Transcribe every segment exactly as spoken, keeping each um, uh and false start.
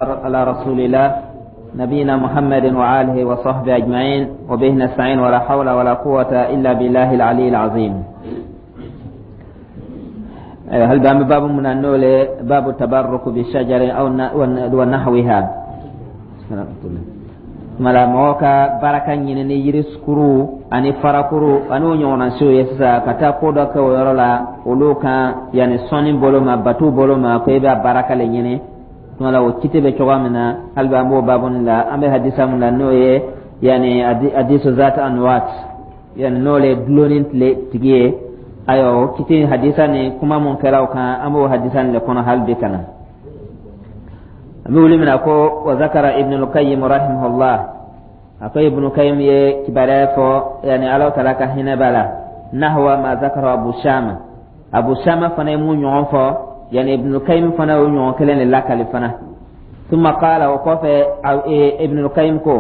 على رسول الله نبينا محمد وآله وصحبه أجمعين، وبه نستعين، ولا حول ولا قوة إلا بالله العلي العظيم. هل باب باب من النول باب التبرك بالشجر أو ونحوها mala mɔgɔ ka baraka ɲini ni yirisukuru ani farakuru ani o ɲɔgɔnna siw ye sisan, ka taa ko dɔ kɛ o yɔrɔ la olu kan, yanni sɔnni bolo ma, batu bolo ma, ko i bɛ baraka le ɲini. Tuma la, o kiti bɛ cogoya min na, hali bi an b'o baabu nin la. An bɛ hadisa min la, n'o ye yanni hadisu zat anwat, yanni n'o le dulonni tile tigi ye. Ayiwa, o kiti hadisa ni kuma mun kɛra o kan, an b'o hadisa nin le kɔnɔ hali bi. Ka na an bɛ wuli min na ko wa zakara Ibn al-Qayyim rahimahullah, a ko Ibn Qayyim ye kibaruya fɔ, yani Ala taala ka hinɛ b'a la, nahwa ma zakara Abu Shama. Abu Shama fana ye mun ɲɔgɔn fɔ, yani Ibn Qayyim fana y'o ɲɔgɔn kelen de lakali fana. ثم قال، وقف ابن القيم كو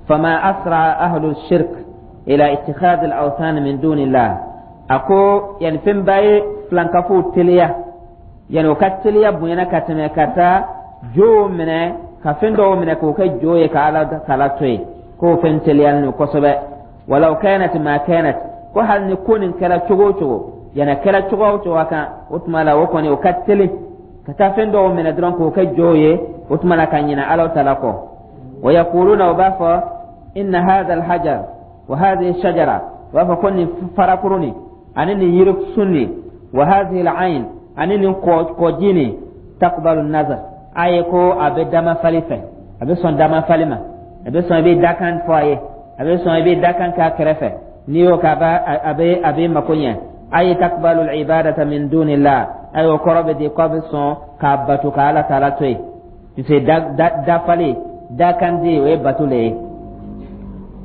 فما أسرع أهل الشرك إلى اتخاذ الأوثان من دون الله. أكو يعني فين باي فلانكفو تليا، يعني وكات تليا بوينا كاتمة كاتا jo minɛ ka fɛn dɔw minɛ k'o kɛ jo ye ka Ala kala to yen, k'o fɛn teliyalen don kosɛbɛ. Walaw kanat ma kanat, ko hali ni ko nin kɛra cogo o cogo, yana kɛra cogo o cogo kan, o tuma la o kɔni o ka teli ka taa fɛn dɔw minɛ dɔrɔn k'o kɛ jo ye, o tuma la ka ɲinɛ Ala ta la kɔ. Wa yaquluna, o b'a fɔ, inna hadha alhajar wa hadhihi shajara, o b'a fɔ ko nin farakuru nin ani nin yirisun nin, wa hadhihi alayn, ani nin kɔji nin, taqbalu nazar, a ye ko a bɛ dama fali fɛ, a bɛ sɔn dama fali ma, a bɛ sɔn i bɛ dakan fɔ a ye, a bɛ sɔn i bɛ dakan k'a kɛrɛfɛ, n'i y'o kɛ, a b'a a bɛ a bɛ mako ɲɛ. A ye taqbalu ibadata min dunillah, a y'o kɔrɔ bɛ di k'a bɛ sɔn k'a bato ka Ala taala to yen, puisque da da dafali dakan di, o ye bato le ye.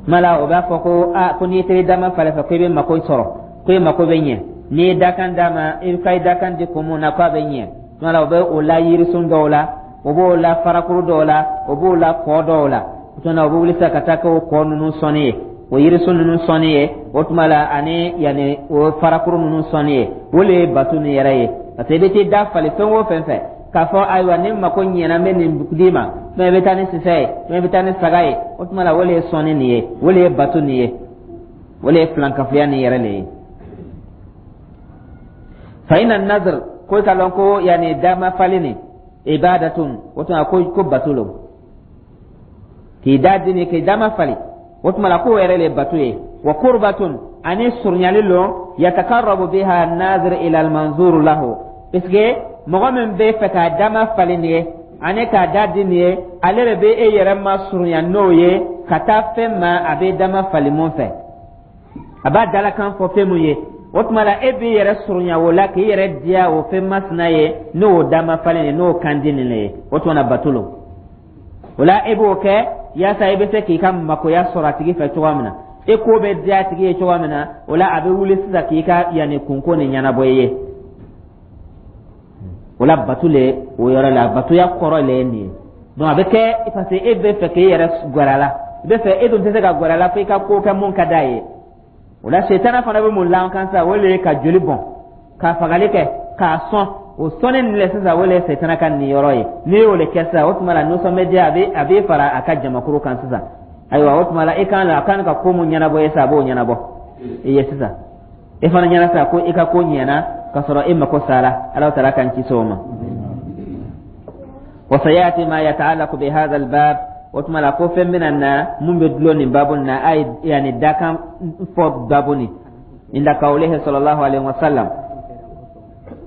Mala o b'a fɔ ko a ko n'i teri dama fali fɛ, ko i bɛ mako sɔrɔ, ko i mako bɛ ɲɛ. N'i ye dakan d'a ma, i ka dakan di kun mun na, k'a bɛ ɲɛ. Tuma o bɛ o la yirisun dɔw la, o b'o la farakuru dɔw la, o b'o la kɔ dɔw la. O tuma o bɛ wuli sisan ka taa kɛ o kɔ ninnu sɔnni ye, o yirisun ninnu sɔnni ye, o tuma la ani yanni o farakuru ninnu sɔnni ye. O le ye bato nin yɛrɛ ye, parce que i bɛ t'i da fali fɛn o fɛn fɛ k'a fɔ ayiwa, ni mako ɲɛna, n bɛ nin d'i ma, mɛ i bɛ taa ni sisɛ ye, mɛ i bɛ taa ni saga ye, o tuma la o le ye sɔnni nin ye, o le ye bato nin ye, o le ye filankafoya nin yɛrɛ le ye. Fa inna nazr, ko ka lɔn ko yanni dama fali nin, ibadatun, o tuma ko ko bato lo, k'i da dini k'i dama fali, o tuma la k'o yɛrɛ le bato ye. Wa qurbatun, ani surunyali lo, yatakarrabu biha nazir ila almanzuru lahu, puisque mɔgɔ min bɛ fɛ k'a dama fali nin ye ani k'a da di nin ye, ale de bɛ e yɛrɛ ma surunya n'o ye ka taa fɛn ma a bɛ dama fali mun fɛ, a b'a dalakan fɔ fɛn mun ye. O tuma la e b'i yɛrɛ surunya o la k'i yɛrɛ diya o fɛn masina ye, n'o dama falen ye, n'o kan di nin ye, o tuma na bato lo. O la e b'o kɛ yaasa i bɛ se k'i ka makoya sɔrɔ a tigi fɛ cogoya min na, e ko bɛ diya a tigi ye cogoya min na. O la a bɛ wuli sisan k'i ka yanni kunko nin ɲɛnabɔ i ye. O la bato le o yɔrɔ la, batoya kɔrɔ le ye nin ye. Donc a bɛ kɛ parce que e bɛ fɛ k'i yɛrɛ gɛrɛ a la, i bɛ fɛ, e dun tɛ se ka gɛrɛ a la fo i ka ko kɛ mun ka d'a ye. O la setana fana bɛ mun la kan sisan? O le ye ka joli bɔn, ka fagali kɛ, k'a sɔn. O sɔnni nin le sisan, o le ye setana ka nin yɔrɔ ye. N'i y'o le kɛ sisan, o tuma la nisɔn bɛ diya, a bɛ a bɛ fara a ka jamakuru kan sisan. Ayiwa, o tuma la i kan a kan ka ko mun ɲɛnabɔ ye sisan, a b'o ɲɛnabɔ i ye sisan. E fana ɲɛna sisan ko i ka ko ɲɛna ka sɔrɔ e mako sara. Ala taala k'an kisi o ma. Wa sayati ma yata'allaqu bi hadha al-bab, o tuma la ko fɛn bɛna na mun bɛ dulon nin babu nin na, a ye yanni dakan fɔ babu nin, inda kawlihi sallallahu alaihi wa sallam,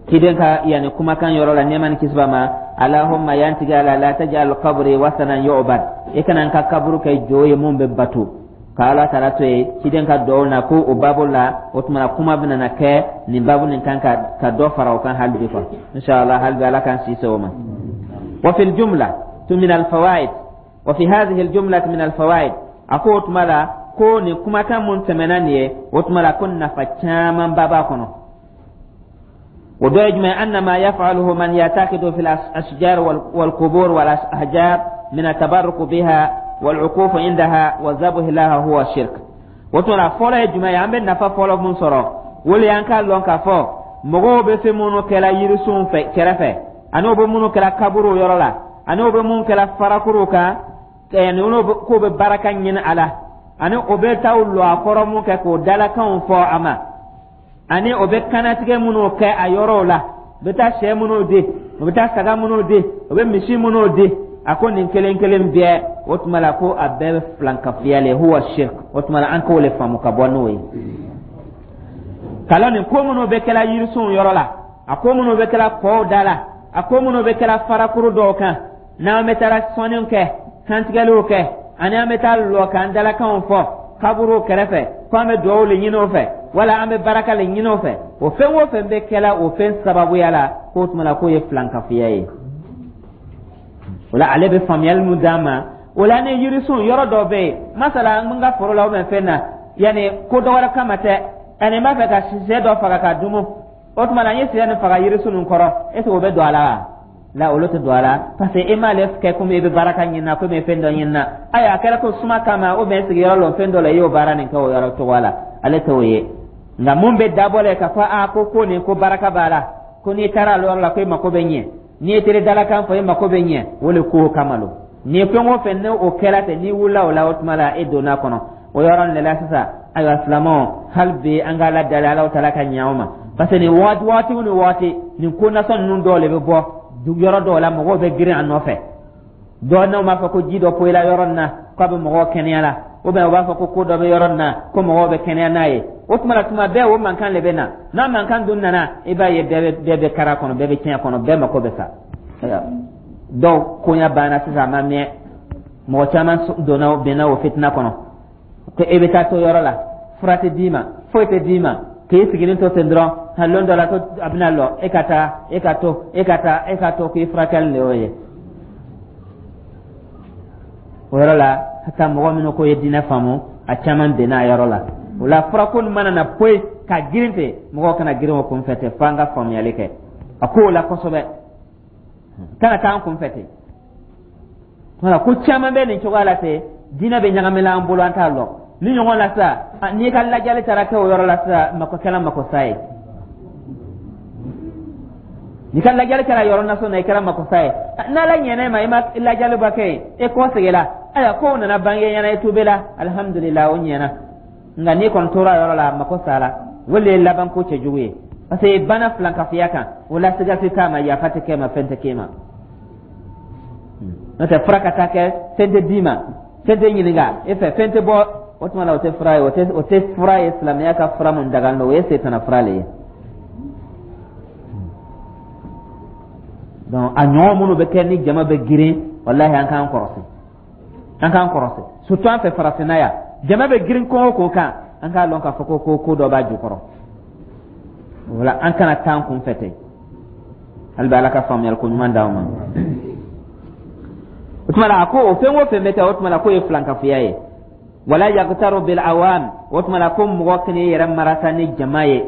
kiden ka yani kumakan yɔrɔ la, nɛɛma ni kisi b'a ma: Allahumma, yantigi Ala, la taj'al qabri wasanan yu'bad, i kana n ka kaburu kɛ jo ye mun bɛ bato ka Ala taala to yen. Ciden ka duwawu na ko o babu la, o tuma na kuma bɛna na kɛ nin babu nin kan ka ka dɔ fara o kan hali bi quoi, inshallah. Hali bi Ala k'an si se o ma. Wa fil jumla tu min al fawaid, wa fi hadhihi al jumla min al fawaid, a ko o tuma la ko nin kumakan mun tɛmɛna nin ye, o tuma la ko nafa caman ba b'a kɔnɔ. O dɔ ye jumɛn? Anna ma yaf'aluhu man yatakidu fi al-ashjar wal-qubur wal-ahjar min at-tabarruk biha wal-uquf indaha wa zabh laha huwa shirk. O tuma la fɔlɔ ye jumɛn ye? An bɛ nafa fɔlɔ mun sɔrɔ, o le y'an k'a lɔn k'a fɔ mɔgɔw bɛ fɛn minnu kɛla yirisunw fɛ kɛrɛfɛ, ani u bɛ minnu kɛla kaburuw yɔrɔ la. Ani o bɛ mun kɛla farakuru kan, yani k'o bɛ baraka ɲini a la, ani o bɛ taa lɔ a kɔrɔ mun kɛ k'o dalakanw fɔ a ma, ani o bɛ kanatigɛ minnu kɛ a yɔrɔw la, u bɛ taa sɛ minnu di, u bɛ taa saga minnu di, u bɛ misi minnu di, a ko nin kelen kelen bɛɛ, o tuma la ko a bɛɛ bɛ filankafoya le, huwa shirk. O tuma la an k'o le faamu ka bɔ n'o ye kalan. Nin ko minnu bɛ kɛla yirisunw yɔrɔ la, a ko minnu bɛ kɛla kɔw da la, a ko minnu bɛ kɛla farakuru dɔw kan, n'an bɛ taara sɔnniw kɛ, kantigɛliw kɛ, ani an bɛ taa lɔ k'an dalakanw fɔ kaburuw kɛrɛfɛ ko an bɛ duwawu le ɲini o fɛ wala an bɛ baraka le ɲini o fɛ, o fɛn o fɛn bɛ kɛla o fɛn sababuya la, k'o tuma la k'o ye filankafoya ye. O la ale bɛ faamuyali min d'an ma o la, ni yirisun yɔrɔ dɔ bɛ yen, masala n ka foro la ou bien fɛn na, yanni ko dɔ wɛrɛ kama tɛ, ani n b'a fɛ ka sɛ dɔ faga ka dumu, o tuma la n ye sɛ nin faga yirisun nin kɔrɔ, est ce que o bɛ don a la wa? La, olu tɛ don a la, parce que e m'ale kɛ komi e bɛ baraka ɲini na, komi e fɛn dɔ ɲini na. Ayiwa, a kɛra ko suma kama ou bien sigiyɔrɔ lɔ fɛn dɔ la, i y'o baara nin kɛ o yɔrɔ cogo la, ale t'o ye. Nka mun bɛ dabɔ la k'a fɔ a ko ko nin ko baraka b'a la, ko n'i taara ale yɔrɔ la ko e mako bɛ ɲɛ, n'i ye teri dalakan fɔ e mako bɛ ɲɛ, o le ko kama lo. Ni fɛn o fɛn ne o kɛra ten, n'i wulila o la, o tuma la e donna kɔnɔ o yɔrɔ nin de la sisan. Ayiwa silamɛw, hali bi an ka Ala dali, Ala taala ka ɲɛ anw ma, parce que nin waati waati ni waati nin ko nasɔn ninnu dɔw de bɛ bɔ yɔrɔ dɔw la, mɔgɔw bɛ girin a nɔfɛ. Dɔw n'aw b'a fɔ ko ji dɔ poyila yɔrɔ nin na k'a bɛ mɔgɔw kɛnɛya la, ou bien u b'a fɔ ko ko dɔ bɛ yɔrɔ nin na ko mɔgɔw bɛ kɛnɛya n'a ye. O tuma la tuma bɛɛ o mankan de bɛ na. N'a mankan dun nana, i b'a ye bɛɛ bɛ bɛɛ bɛ kara kɔnɔ, bɛɛ bɛ tiɲɛ kɔnɔ, bɛɛ mako bɛ sa. Dɔw koɲa banna sisan, a ma mɛn, mɔgɔ caman donna binna o fitina kɔnɔ, ko e bɛ taa to yɔrɔ la, fura tɛ d'i ma, foyi tɛ d'i ma, k'e sigilen to ten dɔrɔn, hali lon dɔ la ko a bɛna lɔ, e ka taa, e ka to, e ka taa, e ka to, k'i furakɛli de y'o ye. O yɔrɔ la hata mɔgɔ minnu ko ye diinɛ faamu, a caman benna a yɔrɔ la. O la furako nin mana na poyi ka girin ten, mɔgɔw kana girin o kunfɛ ten, f'an ka faamuyali kɛ a kow la kosɛbɛ, kana taa an kunfɛ ten. Wala ko caman bɛ nin cogoya la ten, diinɛ bɛ ɲagamina an bolo, an t'a lɔn ni ɲɔgɔn la sisan. N'i ka lajɛli taara kɛ o yɔrɔ la sisan, mako kɛla mako sa ye. N'i ka lajɛli kɛra yɔrɔ nasɔn na, i kɛra mako sa ye. N'Ala ɲɛna e ma, i ma lajɛli ba kɛ yen, e kɔ seginna, ayiwa, kow nana bange ɲɛna, i tubela, alihamudulila, o ɲɛna. Nka n'i kɔni tora yɔrɔ la, mako sara. O de ye laban ko cɛjugu ye, parce que bana filankafoya kan, o la siga tɛ t'a ma, yafa tɛ k'e ma, fɛn tɛ k'e ma. N'o tɛ fura ka taa kɛ, fɛn tɛ d'i ma, fɛn tɛ ɲininka e fɛ, fɛn tɛ bɔ, o tuma la o tɛ fura ye, o tɛ o tɛ fura ye. Silamɛya ka fura mun dagan don, o ye setana fura le ye. Donc a ɲɔgɔn minnu bɛ kɛ ni jama bɛ girin, walahi an k'an kɔrɔsi, an k'an kɔrɔsi, surtout an fɛ farafinna yan, jama bɛ girin ko o ko kan, an k'a lɔn k'a fɔ ko ko ko dɔ b'a jukɔrɔ. Wala an kana taa an kun fɛ ten. Hali bi Ala ka faamuyali ko ɲuman d'anw ma. O tuma la a ko o fɛn o fɛn bɛ kɛ, o tuma la k'o ye filankafoya ye. Wala yagtaru bil awam, o tuma la ko mɔgɔ kan'i yɛrɛ marasa ni jama ye,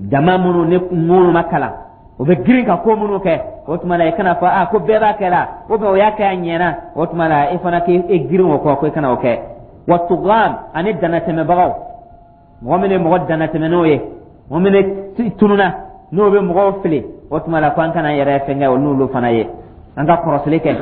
jama minnu ni minnu ma kalan, o bɛ girin ka ko minnu kɛ, o tuma la i kana fɔ a ko bɛɛ b'a kɛ la, ou bien o y'a kɛ a ɲɛna, o tuma la i fana k'i girin o kɔ, ko i kana o kɛ. Wa tugam, ani danatɛmɛbagaw, mɔgɔ min ye mɔgɔ danatɛmɛn'o ye, mɔgɔ min tununa n'o bɛ mɔgɔw fili, o tuma la ko an kana yɛrɛ fɛnkɛ o n'olu fana ye. An ka kɔrɔsili kɛ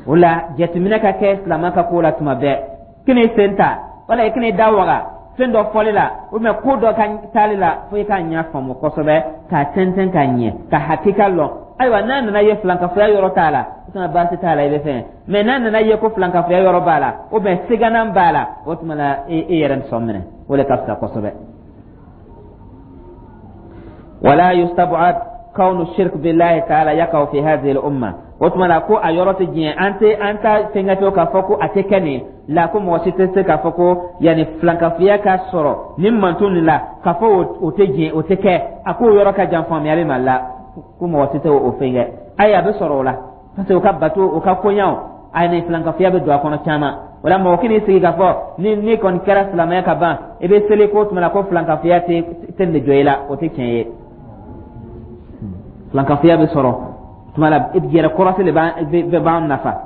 o la, jateminɛ ka kɛ silamɛ ka ko la tuma bɛɛ. Kan'i sen ta wala i kan'i da waga fɛn dɔ fɔli la ou bien ko dɔ ka taali la, fo i k'a ɲɛ faamu kosɛbɛ, k'a tɛntɛn k'a ɲɛ, ka hakika lɔn. Ayiwa, n'a nana ye filankafoya yɔrɔ t'a la, o tuma baasi t'a la, i bɛ fɛn. Mɛ n'a nana ye ko filankafoya yɔrɔ b'a la ou bien siganan b'a la, o tuma la e e yɛrɛ sɔn minɛ, o de ka fisa kosɛbɛ. Wala yustab'ad kawnu shirk billahi ta'ala yaqa'u fi hadhihi al-umma, o tuma la ko a yɔrɔ tɛ diɲɛ, an tɛ an ta fɛnkɛ to k'a fɔ ko a tɛ kɛ nin la, ko mɔgɔ si tɛ se k'a fɔ ko yanni filankafoya ka sɔrɔ nin manton nin la, k'a fɔ o tɛ diɲɛ, o tɛ kɛ. A k'o yɔrɔ ka jan faamuyali ma la, ko mɔgɔ si tɛ o fɛn kɛ. Ayi, a bɛ sɔrɔ o la, parce que o ka bato, o ka koɲaw, a ni filankafoya bɛ don a kɔnɔ caman. O la mɔgɔ kan'i sigi k'a fɔ ni ni kɔni kɛra silamɛya ka ban, i bɛ seli, ko tuma la ko filankafoya tɛ tɛ nin jɔ i la, o tɛ tiɲɛ ye. Filankafoya bɛ sɔrɔ tuma la, yɛrɛ kɔrɔsi de b'an b'an nafa.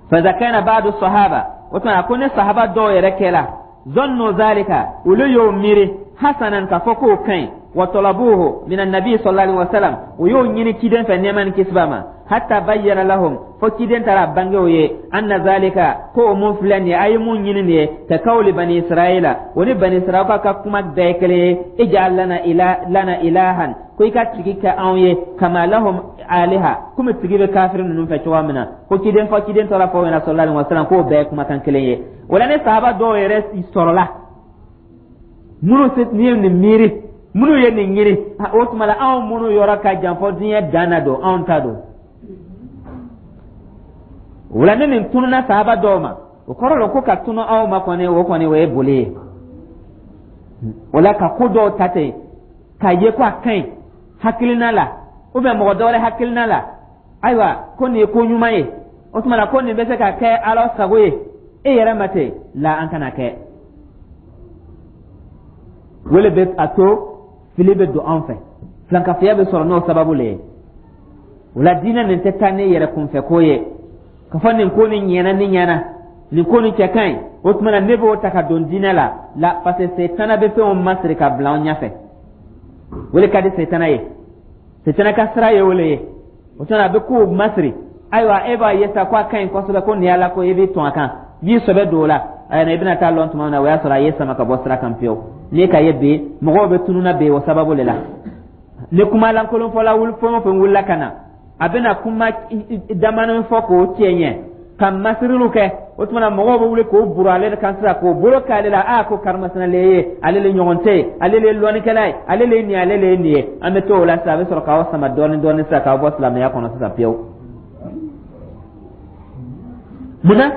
Fa iza kana ba'du sahaba, o tuma ko ni sahaba dɔw yɛrɛ kɛla, zannu zalika, olu y'o miiri hasanan, k'a fɔ k'o ka ɲi. Wa talabuhu min annabi sallallahu alaihi wasallam, o y'o ɲini ciden fɛ, nɛɛma ni kisi b'a ma, hatta bayyana lahum, fo ciden taara bange o ye, anna zalika, ko o mun filɛ nin ye, a ye mun ɲini nin ye, ka kawli bani Israila, o ni bani Israila ka kuma bɛɛ ye kelen ye, ij'al lana ila lana ilahan, ko i ka tigi kɛ anw ye, kama lahum aliha, komi tigi bɛ kafiri ninnu fɛ cogoya min na. Ko ciden fɔ ciden tɔra fɔ ɲɛna sallallahu alaihi wasallam k'o bɛɛ ye kumakan kelen ye. O la, ni sahaba dɔw yɛrɛ sɔrɔla minnu ni ye nin miiri, minnu ye nin ɲini, o tuma la anw minnu yɔrɔ ka jan fɔ diɲɛ dan na don, anw ta don. O la, ni nin tununa sahaba dɔw ma, o kɔrɔ la ko ka tunu aw ma kɔni, o kɔni o ye boli ye. O la, ka ko dɔw ta ten k'a ye ko a ka ɲi hakilina la ou bien mɔgɔ dɔ wɛrɛ hakilina la, ayiwa, ko nin ye ko ɲuman ye, o tuma na ko nin bɛ se ka kɛ Ala sago ye e yɛrɛ ma ten la, an kana kɛ. Wele bɛ a to fili bɛ don an fɛ, filankafoya bɛ sɔrɔ n'o sababu le ye. O la, diinɛ nin tɛ taa ne yɛrɛ kunfɛ ko ye ka fɔ nin ko nin ɲɛna, ni ɲɛna, nin ko nin cɛ ka ɲi, o tuma na ne b'o ta ka don diinɛ la la, parce que setana bɛ fɛnw masiri ka bila an ɲɛfɛ. O le ka di setana ye, setana ka sira ye o le ye. O tuma na a bɛ kow masiri. Ayiwa, e b'a ye sa ko a ka ɲi kosɛbɛ, ko nin y'Ala ko, i b'i tɔn a kan, i b'i sɛbɛ don o la. Ayiwa, i bɛna taa lɔn tuma min na, o y'a sɔrɔ a ye sama ka bɔ sira kan pewu. N'i ka ye bi mɔgɔw bɛ tununa bi o sababu de la. Ni kuma lankolon fɔla wuli, fɛn o fɛn wulila ka na, a bɛna kuma damanin fɔ k'o tiɲɛ ɲɛ ka masiriliw kɛ, o tuma na mɔgɔw bɛ wuli k'o buru ale kan sisan, k'o bolo k'ale la, a ko karimasina le ye, ale le ɲɔgɔn tɛ yen, ale le ye lɔnnikɛla ye, ale le ye nin ye, ale le ye nin ye. An bɛ to o la sisan, a bɛ sɔrɔ k'aw sama dɔɔnin dɔɔnin sisan k'aw bɔ silamɛya kɔnɔ sisan pewu. Munna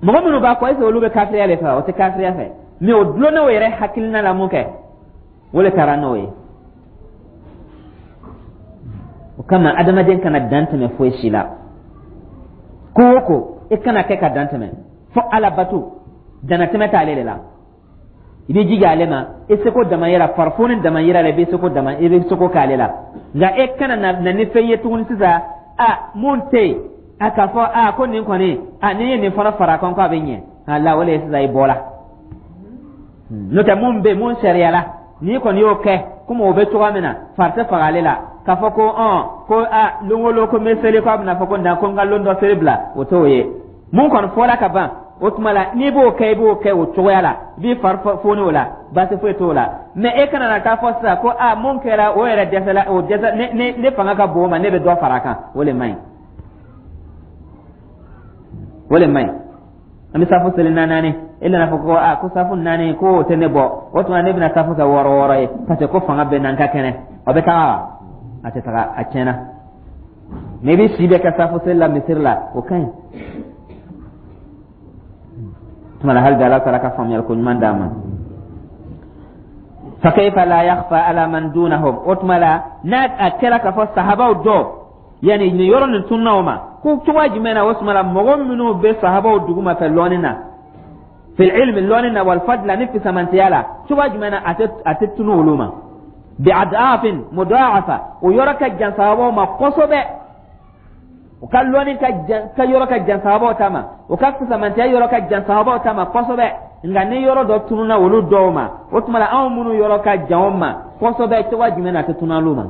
mɔgɔ minnu b'a kɔ, est-ce que olu bɛ kafiriya de fɛ wa? O tɛ kafiriya fɛ, mais o dulonn'o yɛrɛ hakilina la mun kɛ, o de taara n'o ye. O kama, adamaden kana dan tɛmɛ foyi si la. Ko o ko, i kana kɛ ka dan tɛmɛ. Fo Ala bato, danatɛmɛ t'ale de la. I b'i jija ale ma i seko damayira, farifoni damayira la, i b'i seko dama, i bɛ seko k'ale la. Nka e kana na na ni fɛn ye tuguni sisan, a mun tɛ yen, a k'a fɔ a ko nin kɔni, a n'i ye nin fana fara a kan ko a bɛ ɲɛ a la, o de ye sisan i bɔra. N'o tɛ, mun bɛ yen, mun sariya la, n'i kɔni y'o kɛ komi o bɛ cogoya min na, fari tɛ faga ale la k'a fɔ ko ɔn ko a lon o lon ko n bɛ seli, ko a bɛna fɔ ko nka ko n ka lon dɔ seli bila, o t'o ye. Mun kɔni fɔra ka ban, o tuma la n'i b'o kɛ, i b'o kɛ o cogoya la, i b'i fari foni o la, baasi foyi t'o la. Mais e kana na taa fɔ sisan ko a mun kɛra, o yɛrɛ dɛsɛla, o dɛsɛ, ne ne ne fanga ka bon o ma, ne bɛ dɔ fara a kan, o le man ɲi, o le man ɲi. An bɛ safu seli naani, e nana fɔ ko a ko safu naani ko o tɛ ne bɔ, o tuma ne bɛna safu kɛ wɔɔrɔ wɔɔrɔ ye, parce que ko fanga bɛ na, n ka kɛnɛ. O bɛ taga wa? A tɛ taga, a tiɲɛna. Mais i bɛ si bɛɛ kɛ safu seli la misiri la, o ka ɲi. Tuma la, hali bi Ala taala ka faamuyali ko ɲuman d'an ma. Fa kayfa la yakhfa ala man dunahum? O tuma la, n'a a kɛra k'a fɔ sahabaw dɔ yanni nin yɔrɔ nin tunna o ma, ko cogoya jumɛn na? O tuma la, mɔgɔ minnu bɛ sahabaw duguma fɛ lɔnni na, fil ilmi, lɔnni na, wal fadla, ni fisamantiya la, cogoya jumɛn na a tɛ a tɛ tunu olu ma? Bi adafin mudaafa, o yɔrɔ ka jan sahabaw ma kosɛbɛ. O ka lɔnni ka jan, ka yɔrɔ ka jan sahabaw ta ma, o ka fisamantiya yɔrɔ ka jan sahabaw ta ma kosɛbɛ. Nka ni yɔrɔ dɔ tununa olu dɔw ma, o tuma la anw minnu yɔrɔ ka jan o ma kosɛbɛ, cogoya jumɛn na a tɛ tunu olu ma?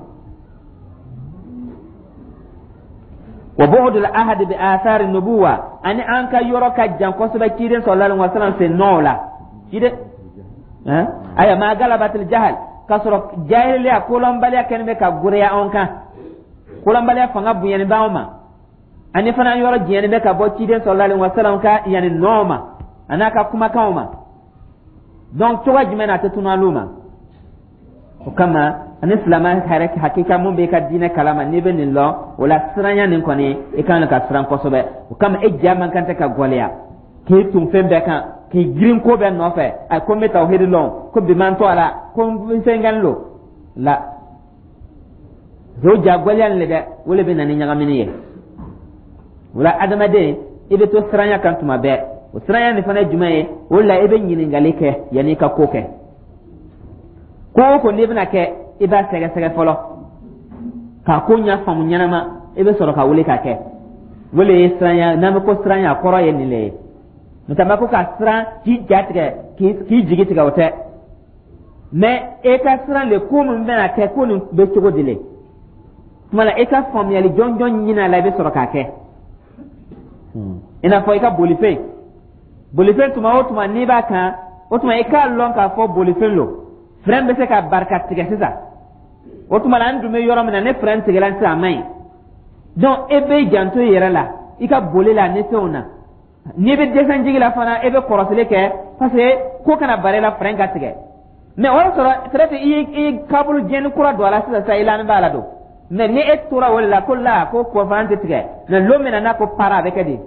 Wa bu'd al-ahad bi athar an-nubuwa, ani an ka yɔrɔ ka jan kosɛbɛ ciden sallallahu alaihi wasallam sen nɔ la, ciden aya ma galabatil jahal, k'a sɔrɔ jahiliya, kolɔnbaliya kɛlen bɛ ka goreya anw kan, kolɔnbaliya fanga bonyani b'anw ma, ani fana yɔrɔ janyani bɛ ka bɔ ciden sallallahu alaihi wasallam ka yanni nɔ ma, a n'a ka kumakanw ma. Donc cogoya jumɛn na a tɛ tunu olu ma? O kama, ani silamɛ yɛrɛ hakika mun b'i ka diinɛ kalama, n'i bɛ nin lɔn, o la siranya nin kɔni, i kan ka siran kosɛbɛ. O kama, e ja man kan tɛ ka gɔlɛya k'i tun fɛn bɛɛ kan, k'i girin ko bɛɛ nɔfɛ. A ko n bɛ tawhidi lɔn, ko bi man to a la, ko n fɛn lo la, o ja gɔlɛya nin le dɛ, o le bɛ na ni ɲagamini ye. O la, adamaden, i bɛ to siranya kan tuma bɛɛ. O siranya nin fana ye jumɛn ye? O la, i bɛ ɲininkali kɛ yanni i ka ko kɛ. Ko o ko n'i bɛna kɛ, i b'a sɛgɛsɛgɛ fɔlɔ k'a ko ɲɛ faamu ɲɛnama, i bɛ sɔrɔ ka wuli k'a kɛ. O le ye siranya. N'an bɛ ko siranya, a kɔrɔ ye nin le ye. N'o tɛ, ko ka siran k'i ja tigɛ, k'i jigi tigɛ, o tɛ. Mais e ka siran le, ko min bɛna kɛ, ko nin bɛ cogo di le? Tuma la, e ka faamuyali jɔnjɔn ɲini a la, i bɛ sɔrɔ k'a kɛ. I n'a fɔ i ka bolifɛn bolifɛn tuma o tuma n'i b'a kan, o tuma i k'a lɔn k'a fɔ bolifɛn lo, frein bɛ se ka barika tigɛ sisan. O tuma la, an dun bɛ yɔrɔ min na, ni frein tigɛla sisan, a man ɲi. Donc e bɛ janto i yɛrɛ la, i ka boli la ni fɛnw na. N'i bɛ descente jigi la fana, e bɛ kɔrɔsili kɛ, parce que ko kana bari la, frein ka tigɛ. Mais o y'a sɔrɔ peut-être i ye i ye câble jɛni kura don a la sisan sisan, i lani b'a la don. Mais ni e tora o de la ko la ko kɔfan tɛ tigɛ, mais lon min na n'a ko para, a bɛ kɛ di?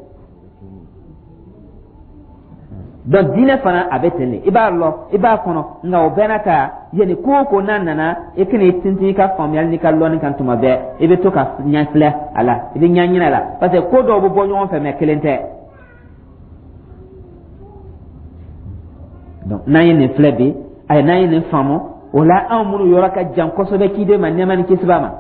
Donc diinɛ fana a bɛ ten de. I b'a lɔ, i b'a kɔnɔ, nka o bɛɛ n'a ta, yanni ko o ko n'a nana, i kana i tintin i ka faamuyali n'i ka lɔnni kan. Tuma bɛɛ i bɛ to ka ɲɛ filɛ a la, i bɛ ɲɛ ɲini a la, parce que ko dɔw bɛ bɔ ɲɔgɔn fɛ, mais kelen tɛ. Donc n'an ye nin filɛ bi, ayi, n'an ye nin faamu, o la anw minnu yɔrɔ ka jan kosɛbɛ kiden ma, nɛɛma ni kisi b'a ma,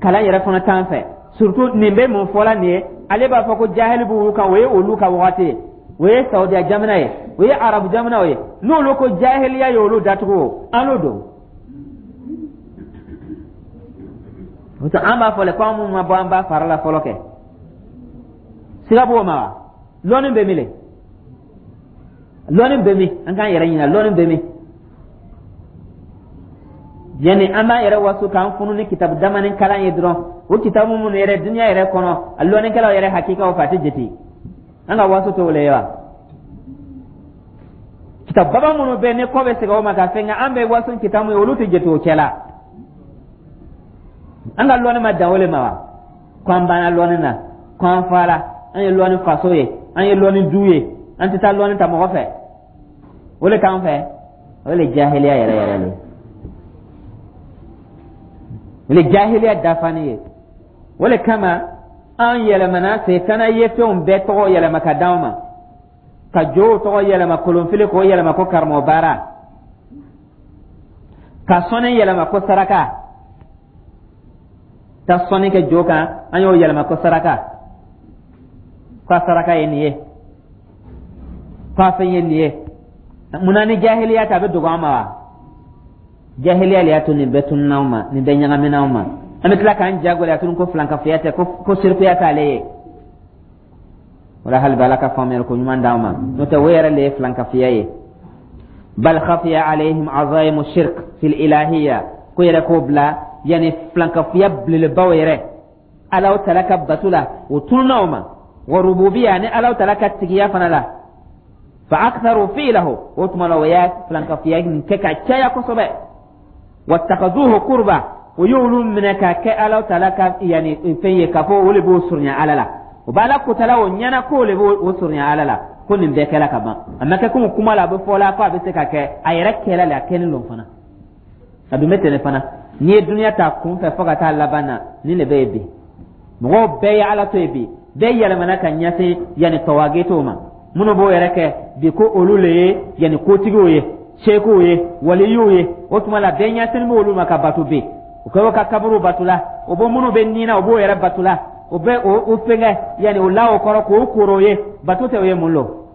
kalan yɛrɛ fana t'an fɛ. Surtout nin bɛ mun fɔla nin ye, ale b'a fɔ ko jahili b'olu kan. O ye olu ka wagati ye, o ye Saudiya jamana ye, o ye Arabu jamanaw ye. N'olu ko jahiliya ye olu datugu, o an n'o don. O tɛ an b'a fɔ le ko an minnu ma bɔ an ba fara la fɔlɔ kɛ, siga b'o ma wa? Lɔnni bɛ min le? Lɔnni bɛ min? An k'an yɛrɛ ɲininka, lɔnni bɛ min? Yani an b'an yɛrɛ waso k'an funu ni kitabu damani kalan ye dɔrɔn, o kitabu minnu yɛrɛ duniya yɛrɛ kɔnɔ, a lɔnnikɛlaw yɛrɛ hakikaw fɛ, a tɛ jate. An ka waso t'o le ye wa? Kitabu baba minnu bɛ ni kɔ bɛ segin o ma ka fɛn kɛ, an bɛ waso kitabu ye, olu tɛ jate o cɛ la. An ka lɔnni ma dan o le ma wa? Ko an banna lɔnni na, ko an fara, an ye lɔnni faso ye, an ye lɔnni du ye, an tɛ taa lɔnni ta mɔgɔ fɛ, o le k'an fɛ. O le jahiliya yɛrɛ yɛrɛ le, o le jahiliya dafani ye. O le kama an yɛlɛmana, setana ye fɛnw bɛɛ tɔgɔ yɛlɛma ka d'anw ma, ka jow tɔgɔ yɛlɛma kolonfili, k'o yɛlɛma ko karamɔgɔ baara, ka sɔnni yɛlɛma ko saraka, ta sɔnni kɛ jo kan, an y'o yɛlɛma ko saraka, ko a saraka ye nin ye, ko a fɛn ye nin ye. Munna ni jahiliya ta a bɛ dogo an ma wa? Jahiliya le y'a to nin bɛɛ tununna anw ma, nin bɛɛ ɲagamina anw ma. An bɛ tila k'an jagoya tuguni ko filankafoya tɛ, ko sirikuya t'ale ye. O la, hali bi Ala ka faamuyali ko ɲuman d'an ma, n'o tɛ o yɛrɛ le ye filankafoya ye. Bal khafiya alayhim azaimu shirk fil ilahiyya, ko yɛrɛ k'o bila, yani filankafoya belebelebaw yɛrɛ Alaw tala ka bato la, o tununna o ma, wa rububiya ni Alaw tala ka tigiya fana la. Fa aktharu fi'lahu, o tuma la o y'a filankafoya nin kɛ ka caya kosɛbɛ. Wattakazuhu qurba, o y'olu minɛ k'a kɛ Alaw tala ka yani fɛn ye, k'a fɔ o le b'o surunya Ala la, o b'Ala kotala, o ɲɛna k'o le b'o surunya Ala la. Ko nin bɛɛ kɛla ka ban, a ma kɛ komi kuma la a bɛ fɔ la ko a bɛ se ka kɛ, a yɛrɛ kɛla le, a kɛlen don fana, a dun bɛ ten de fana. N'i ye duniya ta kun fɛ fo ka taa laban na, nin de bɛ yen bi. Mɔgɔw bɛɛ ye Ala to yen bi, bɛɛ yɛlɛmana ka ɲɛsin yanni tɔwagetow ma, minnu b'o yɛrɛ kɛ bi ko olu le ye yanni kotigiw ye, sekuw ye, waliyuw ye. O tuma la, bɛɛ ɲɛsin b'olu ma ka bato bi. O kɛ o ka kaburu bato la, o bɛ minnu bɛ nin na, o b'o yɛrɛ bato la, o bɛ o o fɛngɛ yanni o la o kɔrɔ k'o koro ye bato tɛ. O ye mun lo?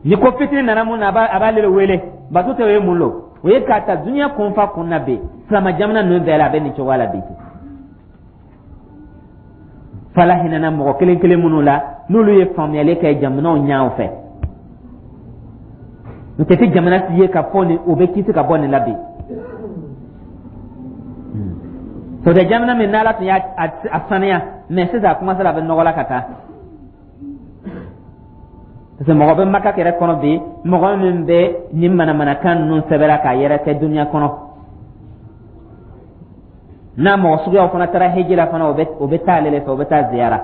Ni ko fitini nana mun na, a b'a a b'ale wele, bato tɛ. O ye mun lo? O ye k'a ta duniya kun fa kun na bi, silama jamana ninnu bɛɛ la, a bɛ nin cogoya la bi. Fala hinɛna mɔgɔ kelen kelen minnu la, n'olu ye faamuyali kɛ jamanaw ɲɛw fɛ, n'o tɛ tɛ jamana si ye ka fɔ nin o bɛ kisi ka bɔ nin la bi. Sɔrɔ jamana min n'Ala tun y'a a saniya, mɛ sisan a commencé a bɛ nɔgɔ la ka taa, parce que mɔgɔ bɛ Maka yɛrɛ kɔnɔ bi, mɔgɔ min bɛ nin manamanakan ninnu sɛbɛnna k'a yɛrɛ kɛ duniya kɔnɔ. N'a mɔgɔ suguyaw fana taara heji la fana, o bɛ o bɛ taa ale de fɛ, o bɛ taa ziyara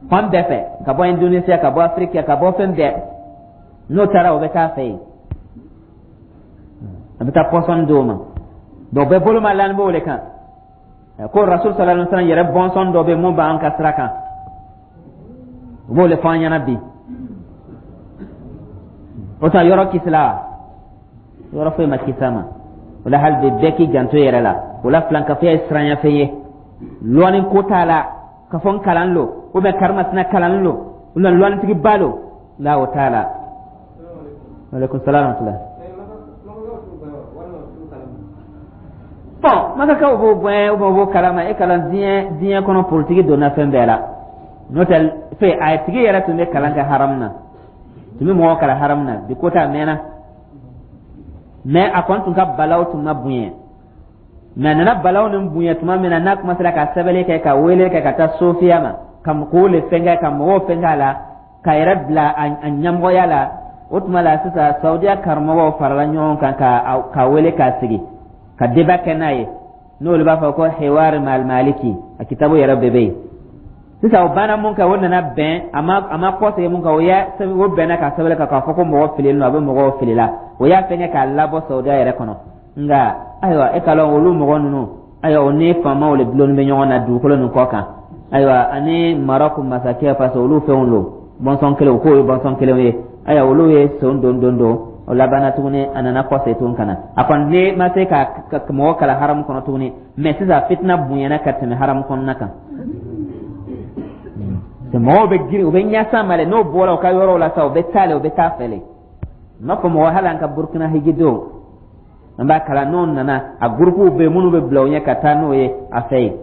fan bɛɛ fɛ, ka bɔ Indonesia, ka bɔ Afiriki, ka bɔ fɛn bɛɛ. N'o taara, o bɛ taa fɛ yen, a bɛ taa pɔsɔn d'o ma. Donc bɛɛ bolo ma lani b'o de kan ko Rasul sallallahu alaihi wasallam yɛrɛ bɔnsɔn dɔ bɛ mun b'an ka sira kan, u b'o de fɔ an ɲɛna bi. O tuma yɔrɔ kisila wa? Yɔrɔ foyi ma kisi a ma. O la, hali bi bɛɛ k'i janto yɛrɛ la. O la, filankafoya ye siranyafɛn ye, lɔnni ko t'a la ka fɔ n kalan lo, ou bien karimasina kalan lo, ou bien lɔnnitigiba lo la, o t'a la. Aleykum salaam wa rahmatulah. Bon, makakaw b'o bonya ou bien o b'o kalama. E kalan diɲɛ diɲɛ kɔnɔ, politiki donna fɛn bɛɛ la. N'o tɛ, fɛ a tigi yɛrɛ tun bɛ kalan kɛ haram na, tun bɛ mɔgɔ kalan haram na. Bi ko ta mɛnna, mais a kɔni tun ka balaw tun ma bonya. Mais a nana balaw ni bonya tuma min na, n'a commencé ka sɛbɛnni kɛ, ka wele kɛ ka taa sofiya ma, ka k'o le fɛnkɛ, ka mɔgɔw fɛnkɛ a la, ka yɛrɛ bila a ɲɛmɔgɔya la, o tuma la sisan Saudiya karamɔgɔw farala ɲɔgɔn kan ka ka wele k'a sigi ka débat kɛ n'a ye. N'olu b'a fɔ ko Hiwar Mal Maliki, a kitabu yɛrɛ bɛɛ bɛ yen sisan. O banna mun kɛ, o nana bɛn a ma a ma kɔsegin mun kan, o y'a o bɛnna ka sɛbɛn kan k'a fɔ ko mɔgɔ fililen don, a bɛ mɔgɔw filila. O y'a fɛngɛ k'a labɔ Saudiya yɛrɛ kɔnɔ. Nka ayiwa, e ka lɔn olu mɔgɔ ninnu, ayiwa, o ni faamaw de dulonni bɛ ɲɔgɔn na dugukolo nin kɔ kan. Ayiwa, ani Marɔku masakɛ, parce que olu fɛnw don, bɔnsɔn kelen, k'o ye bɔnsɔn kelenw ye. Ayiwa, olu ye son don don don o labanna tuguni, a nana kɔsegin tuguni ka na. A kɔni ne ma se ka mɔgɔ kalan haramu kɔnɔ tuguni, mais sisan fitina bonyana ka tɛmɛ haramu kɔnɔna kan. Mɔgɔw bɛ girin, u bɛ ɲɛsan ma dɛ. N'o bɔra u ka yɔrɔw la sa, u bɛ taa le, u bɛ taa fɛ le. N b'a fɔ mɔgɔ, hali an ka Burukina hijidenw, an b'a kalan, n'o nana, a gurupuw bɛ yen minnu bɛ bila u ɲɛ ka taa n'o ye a fɛ yen,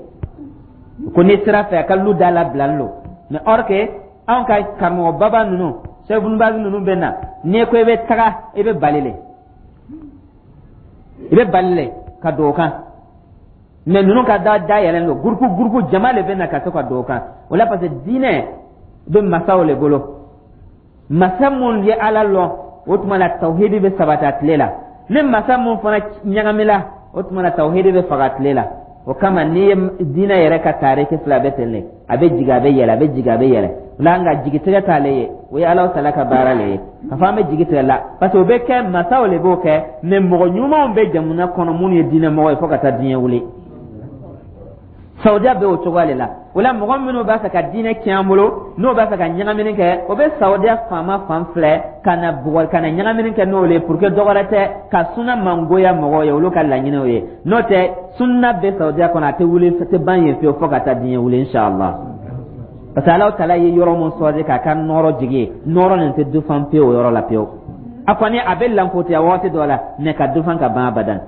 ko n'i sera fɛ, a ka lu da labilalen don. Mais or que anw ka karamɔgɔ baba ninnu, Cheikh Ibn Baz ninnu bɛ na, n'i ko i bɛ taga, i bɛ bali le, i bɛ bali le ka don o kan. Mais ninnu ka da da yɛlɛn don, gurupu gurupu jama de bɛ na ka to ka don o kan o la, parce que diinɛ bɛ masaw le bolo. Masa mun ye Ala lɔn, o tuma la tawhidi bɛ sabati a tile la. Ni masa mun fana ɲagamila, o tuma la tawhidi bɛ faga tile la. O kama, n'i ye diinɛ yɛrɛ ka tariki fila bɛ ten de, a bɛ jigin, a bɛ yɛlɛ, a bɛ jigin, a bɛ yɛlɛ la. Nka jigitigɛ t'ale ye, o ye Ala tala ka baara le ye ka fɔ an bɛ jigi tigɛ la, parce que o bɛ kɛ, masaw le b'o kɛ. Mais mɔgɔ ɲumanw bɛ jamana kɔnɔ minnu ye diinɛ mɔgɔ ye fo ka taa diɲɛ wuli. Saudiya bɛ o cogoya de la. O la, mɔgɔ minnu b'a fɛ ka diinɛ tiɲɛ an bolo, n'o b'a fɛ ka ɲagamini kɛ, o bɛ Saudiya faama fan filɛ ka na bugɔ, ka na ɲagamini kɛ n'o ye, pour que dɔwɛrɛ tɛ ka sunna mangoya mɔgɔw ye. Olu ka laɲiniw ye. N'o tɛ, sunna bɛ Saudiya kɔnɔ, a tɛ wuli, a tɛ ban yen fiyewu fo ka taa diɲɛ wuli, inshallah, parce que Ala tala ye yɔrɔ mun sɔrɔ k'a ka nɔrɔ jigin, nɔrɔ nin tɛ dufan pewu o yɔrɔ la pewu. A kɔni a bɛ lankotiya waati dɔ la, mais ka dufan ka ban abadan.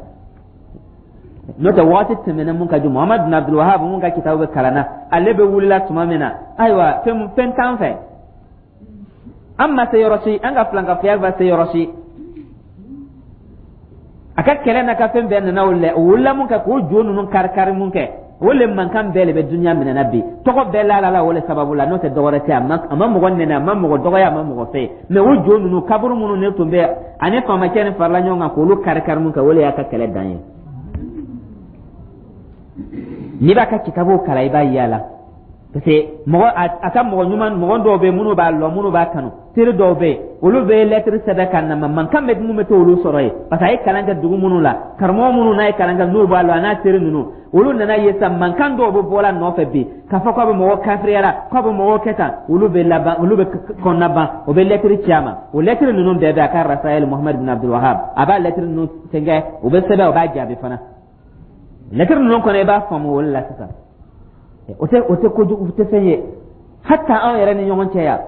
N'o tɛ, waati tɛmɛna mun ka ju, Muhamadu bin Abdul Wahab mun ka kitabu bɛ kalan na, ale bɛ wulila tuma min na, ayiwa, fɛn fɛn t'an fɛ, an ma se yɔrɔ si, an ka filankafoya ma se yɔrɔ si. A ka kɛlɛ n'a ka fɛn bɛɛ nana o lɛ, o wulila mun kɛ k'o jo ninnu kari kari mun kɛ, o le mankan bɛɛ de bɛ dunuya minɛ na bi. Tɔgɔ bɛɛ la la o le sababu la. N'o tɛ, dɔwɛrɛ tɛ. a ma a ma mɔgɔ nɛnɛ, a ma mɔgɔ dɔgɔya, a ma mɔgɔ fɛ. Mais o jo ninnu, kaburu minnu ne tun bɛ ani faamakɛ ni farala ɲɔgɔn kan k'olu kari kari mun kɛ, o le y'a ka kɛlɛ dan ye. N'i b'a ka kitabu kalan, i b'a ye a la, parce que mɔgɔ a ka mɔgɔ ɲuman, mɔgɔ dɔw bɛ yen minnu b'a lɔn, minnu b'a kanu, teri dɔw bɛ yen, olu bɛ lɛtiri sɛbɛn ka na ma, mankan bɛ mun bɛ t'olu sɔrɔ yen, parce que a ye kalan kɛ dugu minnu la, karamɔgɔ minnu n'a ye kalan kɛ, n'u b'a lɔn, a n'a teri ninnu, olu nana ye sa, mankan dɔw bɛ bɔ la nɔfɛ bi k'a fɔ k'a bɛ mɔgɔ kafiriya la, k'a bɛ mɔgɔ kɛ tan, olu bɛ laban, olu bɛ kɔnɔna ban, o bɛ lɛtiri ci a ma. O lɛtiri ninnu bɛɛ bɛ a ka Rasayɛli Muhamadu bin Abdul Wahab, a b'a lɛtiri ninnu fɛnkɛ, o bɛ sɛbɛn, o b'a jaabi fana. Lɛtiri ninnu kɔnɔ, i b'a faamu o la sisan, o tɛ o tɛ kojugu, o tɛ fɛn ye. Hata anw yɛrɛ ni ɲɔgɔn cɛ yan,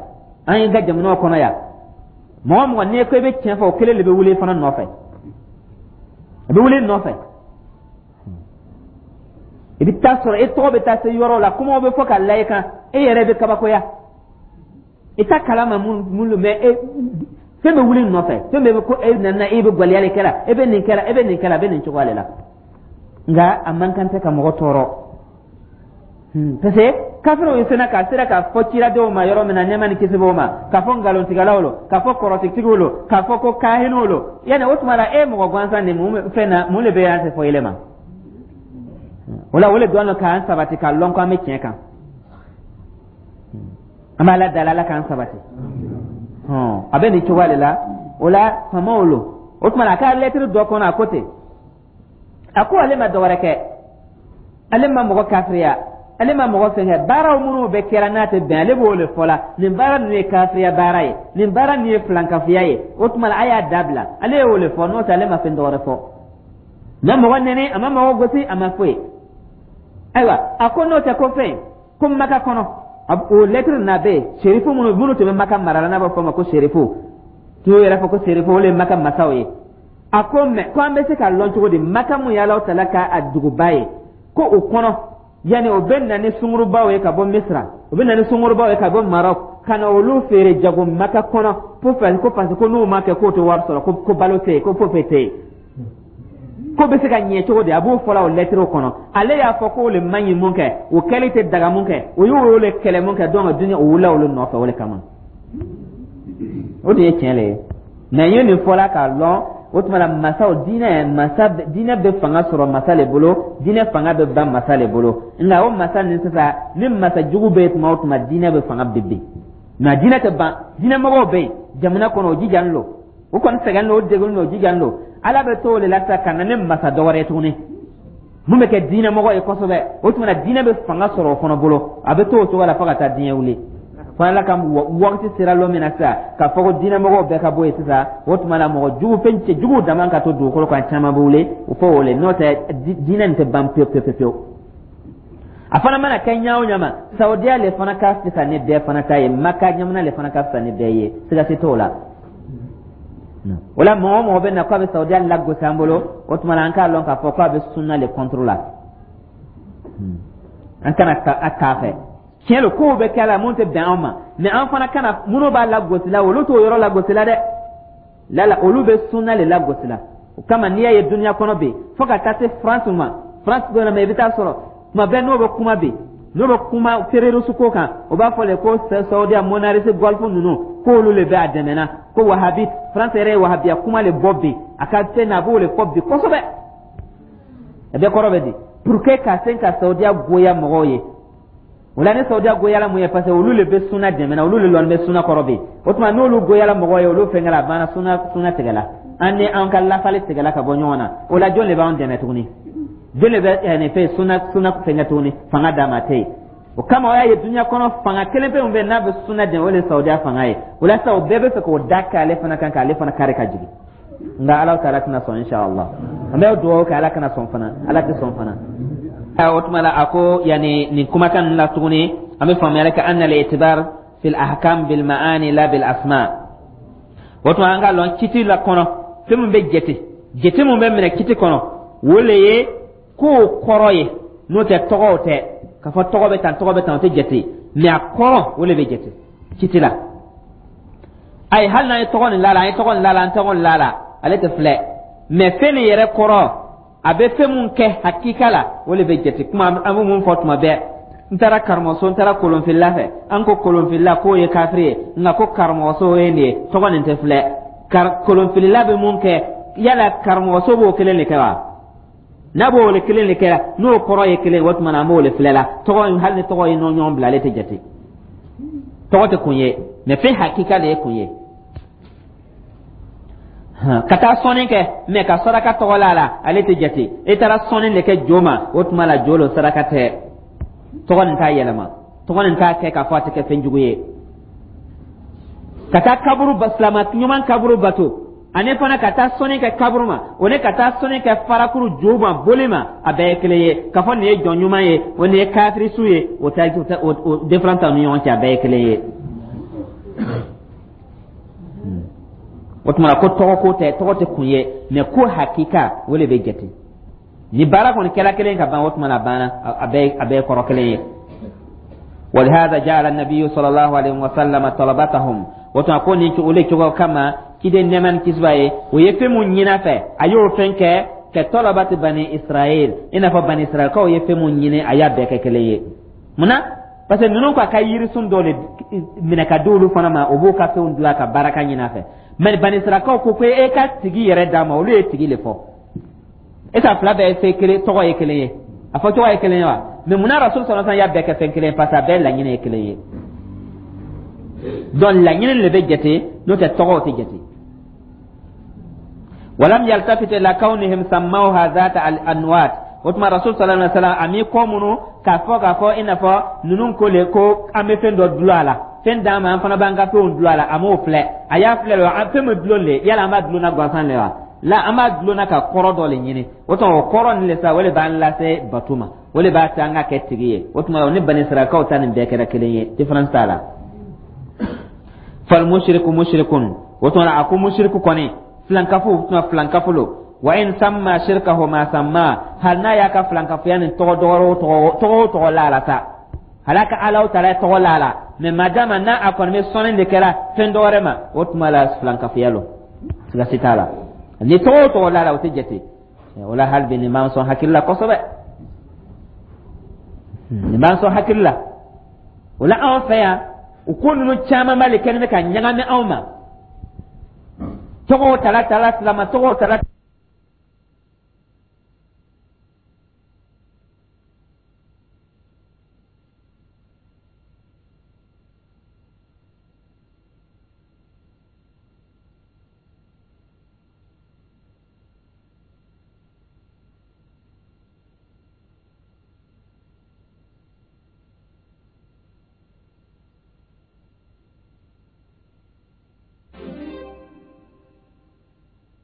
an ye ka jamanaw kɔnɔ yan, mɔgɔ mɔgɔ n'i ko i bɛ tiɲɛ fɔ, o kelen de bɛ wuli fana nɔfɛ, a bɛ wuli nɔfɛ. I bɛ taa sɔrɔ e tɔgɔ bɛ taa se yɔrɔ la, kumaw bɛ fɔ ka la i kan, e yɛrɛ bɛ kabakoya, i ta kalama mun mun mɛ e fɛn bɛ wuli nɔfɛ, fɛn bɛɛ bɛ ko e nana, e bɛ gwaliyali kɛla, e bɛ nin kɛla, e bɛ nin kɛla, a bɛ nin cogoya de la. Nka a man kan tɛ ka mɔgɔ tɔɔrɔ, parce que kafiriw ye sena ka sera k'a fɔ ciradenw ma yɔrɔ min na, nɛɛma ni kisi b'o ma, k'a fɔ nkalontigɛlaw lo, k'a fɔ kɔrɔtigitigiw lo, k'a fɔ ko kahiniw lo, yanni o tuma la, e mɔgɔ gansan nin, mun fɛn na, mun de bɛ yan tɛ fɔ yɛlɛ ma o la? O le dɔn k'an sabati k'a lɔn ko an bɛ tiɲɛ kan. An b'a la dala, Ala k'an sabati. A bɛ nin cogoya de la. O la, faamaw lo. O tuma la, a ka lɛtiri dɔ kɔnɔ, a ko ten, a ko ale ma dɔwɛrɛ kɛ, ale ma mɔgɔ kafiriya, ale ma mɔgɔ fɛn kɛ. Baaraw minnu bɛ kɛra n'a tɛ bɛn, ale b'o de fɔ la: nin baara ninnu ye kafiriya baara ye, nin baara ninnu ye filankafoya ye, o tuma la a y'a dabila. Ale y'o de fɔ. N'o tɛ, ale ma fɛn dɔwɛrɛ fɔ, ma mɔgɔ nɛni, a ma mɔgɔ gosi, a ma foyi. Ayiwa, a ko n'o tɛ, ko fɛn ko Maka kɔnɔ, o lɛtiri na bɛ yen, serifu minnu minnu tun bɛ Maka mara la, n'a b'a fɔ o ma ko serifu, t'u yɛrɛ fɔ ko serifu, olu ye Maka masaw ye. A ko mɛ, ko an bɛ se k'a lɔn cogo di, Maka mun ye Alahu Taala ka a duguba ye, ko o kɔnɔ yanni o bɛ na ni sungurubaw ye ka bɔ Misira, o bɛ na ni sungurubaw ye ka bɔ Marɔk, ka na olu feere jago Maka kɔnɔ, ko ko parce que ko n'u ma kɛ k'o tɛ wari sɔrɔ, ko ko balo tɛ yen, ko foyi foyi tɛ yen, ko bɛ se ka ɲɛ cogo di? A b'o fɔla o lɛtiriw kɔnɔ. Ale y'a fɔ k'o le man ɲi mun kɛ, o kɛli tɛ daga mun kɛ, o y'o le kɛlɛ mun kɛ. Donc dunuya o wulila olu nɔfɛ, o le kama. O de ye tiɲɛ le ye. Mɛ n ye nin fɔla k'a lɔn, o tuma la masaw diinɛ, masa diinɛ bɛ fanga sɔrɔ masa le bolo, diinɛ fanga bɛ ban masa le bolo. Nka o masa nin sisan, ni masa jugu bɛ yen tuma o tuma, diinɛ bɛ fanga bɛ bin, nka diinɛ tɛ ban. Diinɛmɔgɔw bɛ yen jamana kɔnɔ, o jijalen don, o kɔni sɛgɛn don, o degun don, o jijalen don. Ala bɛ to o de la sisan ka na ni masa dɔ wɛrɛ ye tuguni mun bɛ kɛ diinɛmɔgɔ ye kosɛbɛ. O tuma na diinɛ bɛ fanga sɔrɔ o fana bolo. A bɛ to o cogo la fo ka taa diɲɛ wuli, fo Ala ka wagati sera lon min na sisan k'a fɔ ko diinɛmɔgɔw bɛɛ ka bɔ yen sisan. O tuma na mɔgɔ jugu, fɛn cɛ juguw dama ka to dugukolo kan, caman bɛ wuli o fɔ o le. N'o tɛ, diinɛ nin tɛ ban pewu pewu pewu. A fana mana kɛ ɲa o ɲa ma, Saudiya le fana ka fisa ni bɛɛ fana ta ye, Maka jamana le fana ka fisa ni bɛɛ ye, siga si t'o la. O la mɔgɔ o mɔgɔ bɛ na k'a bɛ Saudiya lagosi an bolo, o tuma na an k'a lɔn k'a fɔ k'a bɛ sunna le contre la. An kana a k'a fɛ. Tiɲɛ don, kow bɛ kɛ la mun tɛ bɛn anw ma, mɛ an fana kana minnu b'a lagosi la, olu t'o yɔrɔ lagosi la dɛ. Lala, olu bɛ sunna le lagosi la. O kama n'i y'a ye dunuya kɔnɔ bi, fo ka taa se France ma, France dɔ ma, i bɛ taa sɔrɔ tuma bɛɛ n'o bɛ kuma bi, n'o bɛ kuma terroriste ko kan, o b'a fɔ le ko Saudiya, monarchie Golfe ninnu, k'olu le bɛ a dɛmɛ, ko wahabi. France yɛrɛ ye wahabiya kuma le bɔ bi a ka fɛn na, a b'o le fɔ bi kosɛbɛ. A bɛɛ kɔrɔ bɛ di pour que ka se ka Saudiya goya mɔgɔw ye. O la ni Saudiya goyala mun ye? Parce que olu le bɛ sunna dɛmɛ na, olu le lɔn bɛ sunna kɔrɔ bi. O tuma n'olu goyala mɔgɔw ye, olu fɛnkɛla a banna, sunna sunna tigɛla, an ni an ka lafali tigɛla ka bɔ ɲɔgɔn na. O la jɔn de b'an dɛmɛ tuguni? Jɔn de bɛ nin fɛn sunna sunna fɛnkɛ tuguni? Fanga d'a ma tɛ yen. O kama o y'a ye dunuya kɔnɔ fanga kelen pe min bɛ yen n'a bɛ sunna dɛmɛ, o de ye Saudiya fanga ye. O la sisan o bɛɛ bɛ fɛ k'o da k'ale fana kan, k'ale fana kari ka jigin. Nka Ala taala tɛna sɔn, inshallah. An bɛ dugawu kɛ, Ala kana sɔn fana, Ala tɛ sɔn fana. O tuma la a ko yanni nin kumakan ninnu la tuguni, an bɛ faamuyali kɛ anna al-i'tibar fil ahkam bil ma'ani la bil asma. O tuma an ka lɔn kiti la kɔnɔ, fɛn min bɛ jate, jate mun bɛ minɛ kiti kɔnɔ, o le ye kow kɔrɔ ye. N'o tɛ, tɔgɔw tɛ k'a fɔ tɔgɔ bɛ tan, tɔgɔ bɛ tan, o tɛ jate, mɛ a kɔrɔ, o le bɛ jate kiti la. Ayi, hali n'an ye tɔgɔ nin la la, an ye tɔgɔ nin la la, an tɔgɔ nin la la, ale tɛ filɛ, mɛ fɛn nin yɛrɛ kɔrɔ, a bɛ fɛn mun kɛ hakika la, o de bɛ jate. Kuma an bɛ mun fɔ tuma bɛɛ, n taara karamɔgɔso, n taara kolonfilila fɛ, an ko kolonfilila k'o ye kafiri ye, nka ko karamɔgɔso ye nin ye, tɔgɔ nin tɛ filɛ. Kolonfilila bɛ mun kɛ, yala karamɔgɔso b'o kelen de kɛ wa? N'a b'o le kelen de kɛ, n'o kɔrɔ ye kelen, o tuma na an b'o le filɛ la. Tɔgɔ, hali ni tɔgɔ ye ɲɔgɔn bila, ale tɛ jate. Tɔgɔ tɛ kun ye, mɛ fɛn hakika de ye kun ye. Ka taa sɔnni kɛ, mɛ ka saraka tɔgɔ la la, ale tɛ jate. E taara sɔnni de kɛ jo ma, o tuma la jo lo, saraka tɛ. Tɔgɔ nin t'a yɛlɛma, tɔgɔ nin t'a kɛ k'a fɔ a tɛ kɛ fɛn jugu ye. Ka taa kaburu, silama ɲuman kaburu bato, ani fana ka taa sɔnni kɛ kaburu ma, o ni ka taa sɔnni kɛ farakuru jo ma, boli ma, a bɛɛ ye kelen ye. K'a fɔ nin ye jɔn ɲuman ye, o nin ye kafirisu ye, o tɛ o différence t'aw ni ɲɔgɔn cɛ, a bɛɛ ye kelen ye. O tuma ko tɔgɔ ko tɛ, tɔgɔ tɛ kun ye, mɛ ko hakika, o de bɛ jate. Ni baara kɔni kɛla kelen ka ban, o tuma na a banna, a bɛɛ a bɛɛ ye kɔrɔ kelen ye. ولهذا جعل النبي صلى الله عليه وسلم طلبتهم. O tuma ko nin o le cogo kama ciden nɛɛma ni kisi b'a ye, o ye fɛn mun ɲini a fɛ, a y'o fɛn kɛ ka طلبة بني إسرائيل, i n'a fɔ Bani Israɛlkaw ye fɛn mun ɲini, a y'a bɛɛ kɛ kelen ye. Munna? Parce que ninnu ko a ka yirisun dɔ de minɛ ka di olu fana ma, o b'o ka fɛnw dilan ka baraka ɲini a fɛ. Mɛ Bani Israɛlkaw ko ko e ka tigi yɛrɛ d'a ma, olu ye tigi le fɔ. E ka fila bɛɛ ye fɛn kelen, tɔgɔ ye kelen ye, a fɔ cogo ye kelen ye wa? Mɛ munna Rasul sɔrɔ y'a bɛɛ kɛ fɛn kelen ye? Parce que a bɛɛ laɲini ye kelen ye. Donc laɲini de bɛ jate, n'o tɛ tɔgɔw tɛ jate. ولم يلتفت إلى كونهم سموها ذات الأنواط. O tuma Rasul صلى الله عليه وسلم a m'i kɔ munu k'a fɔ k'a fɔ i n'a fɔ ninnu ko le ko an bɛ fɛn dɔ dulon a la, fɛn d'an ma, an fana b'an ka fɛnw dulon a la. A m'o filɛ, a y'a filɛ le, fɛn min dulon le, yala an b'a dulon na gansan le wa? La, an b'a dulon na ka kɔrɔ dɔ le ɲini. O tuma o kɔrɔ nin le sa, o de b'an lase bato ma, o de b'a to an ka kɛ tigi ye. O tuma o ni Bani Israɛlkaw ta nin bɛɛ kɛra kelen ye, différence t'a la. فالمشرك مشرك. O tuma a ko mushriku kɔni Filankafo tuma filankafo lo. Wa in samma shirkahu ma samma, hali n'a y'a ka filankafoya nin tɔgɔ dɔgɔrɔ tɔgɔ tɔgɔ o tɔgɔ la la sa, hali a ka Alaw taala tɔgɔ la la, mɛ madama n'a a kɔni bɛ sɔnni de kɛra fɛn dɔ wɛrɛ ma, o tuma la filankafoya lo, siga si t'a la. Ni tɔgɔ o tɔgɔ la la, o tɛ jate o la. Hali bi nin b'an sɔn hakili la kosɛbɛ, nin b'an sɔn hakili la. O la, anw fɛ yan, o ko ninnu caman b'ale kɛlen bɛ ka ɲagami anw ma. Tɔgɔw tala tala, silama tɔgɔw tala.